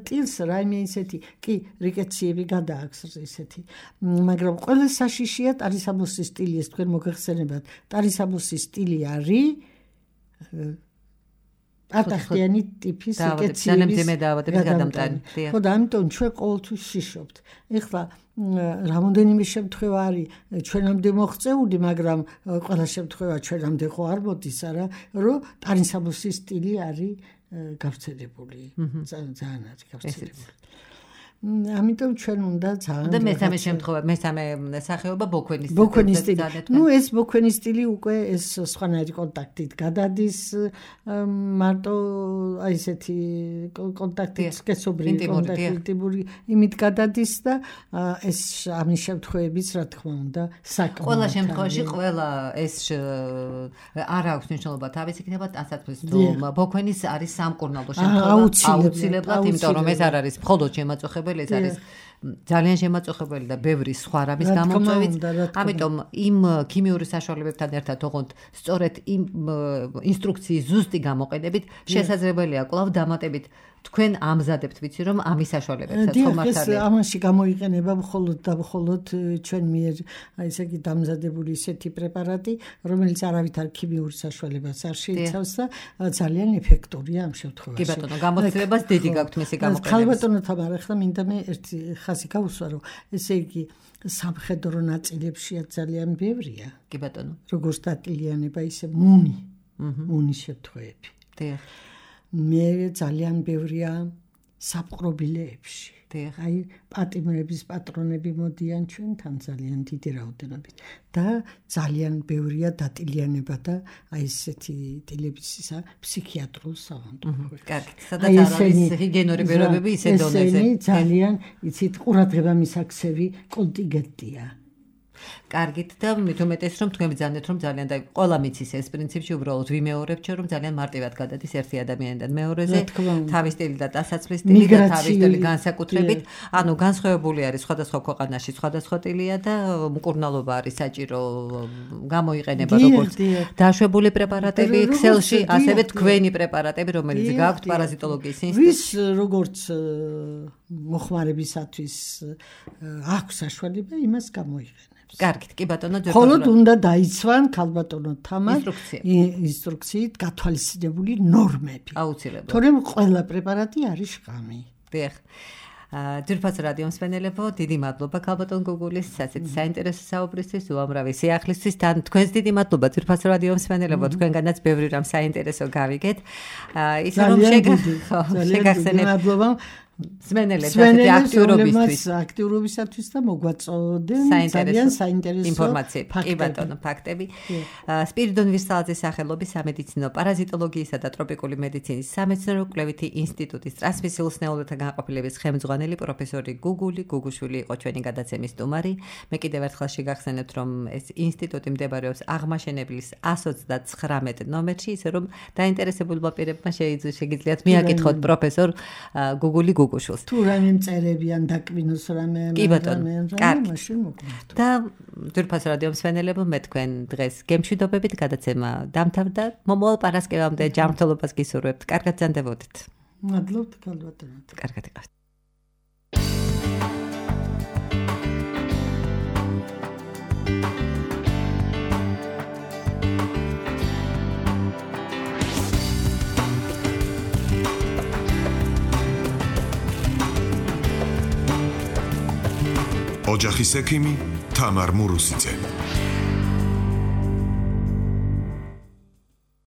ტილს რაიმე ისეთი, კი, რიკეციები გადააქვს ისეთი. მაგრამ ყველა საშიშია ტარისამოსის სტილი, ეს თქვენ მოგეხსენებათ. ტარისამოსის სტილი არის ატახტიანი ტიპის რიკეციების გადამტანი. ხო და ამიტომ ჩვენ ყოველთვის შიშობთ. ეხლა რამოდენიმე შემთხვევა არის ჩვენამდე მოღწეული, მაგრამ ყველა შემთხვევა ჩვენამდე ხო არ მოდის, არა, რომ ტარისამოსის სტილი არის გავრცელებული. ძალიან არის გავრცელებული. ამიტომ ჩვენ უნდა ძალიან და მესამე შემთხვევა, მესამე სახეობა ბოქვენის სტილი. ბოქვენის სტილი. ნუ ეს ბოქვენის სტილი უკვე ეს სხვანაირი კონტაქტით გადადის, მარტო აი ესეთი კონტაქტით სქესობრივი კონტაქტი იმით გადადის და ეს ამის შემთხვევებიც რა თქმა უნდა საკმაოდ. ყველა შემთხვევაში ყველა ეს არ აქვს მნიშვნელობა თავის იქნება ტანსაცმლის თუ ბოქვენის არის სამკურნალო შემთხვევა აუცილებლად, იმიტომ რომ ეს არ არის მხოლოდ შემაწუხებელი, ეს არის ძალიან შემაწუხებელი და ბევრი სხვა რამის გამოწვევით. ამიტომ იმ ქიმიური საშუალებებთან ერთად ოღონდ სწორედ იმ ინსტრუქციის ზუსტი გამოყენებით შესაძლებელია კვლავ დამატებით თქვენ ამზადებთ, ვიცი რომ ამის საშუალებებსაც ხომ არ არის. ამაში გამოიყენება მხოლოდ და მხოლოდ ჩვენ მიერ აი ესე იგი დამზადებული ისეთი პრეპარატი, რომელიც არავითარ ქიმიურ საშუალებას არ შეიცავს და ძალიან ეფექტურია ამ შემთხვევაში. კი ბატონო, გამოცდილებას დიდი გაქვთ მისი გამოყენების. ქალბატონო თამარ, ახლა მინდა მე ერთი ხაზი გავუსვა, რომ ესე იგი სამხედრო ნაწილებშია ძალიან ბევრია. კი ბატონო. როგორც დატილიანება, ისე მუნის შემთხვევები. დიახ. მე ძალიან ბევრია საპყრობილეებში. აი პატიმრების პატრონები მოდიან ჩვენთან ძალიან დიდი რაოდენობით და ძალიან ბევრია დატილიანება და აი ესეთი ტილების ისა ფსიქიატრულ საავადმყოფოში. კარგი, სადაც არის ჰიგიენური პირობები ისე დონეზე. ძალიან იცით ყურადღება მისაქცევი კონტინგენტია. კარგით და მით უმეტეს რომ თქვენ ბრძანეთ რომ ძალიან და ყველა მიცის ეს პრინციპში უბრალოდ ვიმეორებთ რომ ძალიან მარტივად გადადის ერთი ადამიანიდან მეორეზე თავის სტილი და ტასაცმლის სტილი და თავის სტილი განსაკუთრებით ანუ განსხვავებული არის სხვადასხვა ქვეყანაში სხვადასხვა სტილია და მკურნალობა არის საჭირო გამოიყენება როგორც დაშვებული პრეპარატები Excel-ში ასევე თქვენი პრეპარატები რომელიც გაქვთ პარაზიტოლოგიის ინსტიტუტში ვის როგორც მოხმარებისათვის აქვს საშუალება იმას გამოიყენებს კარგით, კი ბატონო, ხოლოდ უნდა დაიცვან ქალბატონო თამარ ინსტრუქციით გათვალისწინებული ნორმები. აუცილებლად. თორემ ყველა პრეპარატი არის შხამი. დიახ. ძვირფას რადიო მსმენელებო, დიდი მადლობა ქალბატონ გუგულის ასეთ საინტერესო საუბრისთვის, უამრავი სიახლისთვის. თან თქვენს დიდი მადლობა ძვირფას რადიო მსმენელებო, თქვენგანაც ბევრი რამ საინტერესო გავიგეთ. ის რომ შეგახსენებთ. მადლობა. მსმენელებს ასეთი აქტიურობისათვის და მოგვაწოდენ ძალიან საინტერესო ინფორმაციები. კი ბატონო, ფაქტები. სპირიდონ ვირსალაძის სახელობის სამედიცინო პარაზიტოლოგიისა და ტროპიკული მედიცინის სამეცნიერო კვლევითი ინსტიტუტის ტრანსმისიულ სნეულთა განყოფილების ხელმძღვანელი პროფესორი გუგუშვილი იყო ჩვენი გადაცემის სტუმარი. მე კიდევ ერთხელ შეგახსენებთ, რომ ეს ინსტიტუტი მდებარეობს აღმაშენებლის 129 ნომერში, ისე რომ დაინტერესებულმა პირებმა შეგიძლიათ მიაკითხოთ პროფესორ გუგული გუგუშვილს. თუ რამე მწერებიან დაკბინოს რამე მაშინ მოგვართ. და ძვირფას რადიო მსმენელებო, მე თქვენ დღეს გემშვიდობებით გადაცემა დამთავრდა. მომავალ პარასკევამდე ჯანმრთელობას გისურვებთ. კარგად ზანდებოდეთ. მადლობთ ქალბატონო. კარგად იყავთ. ოჯახის ექიმი თამარ მურუსიძე.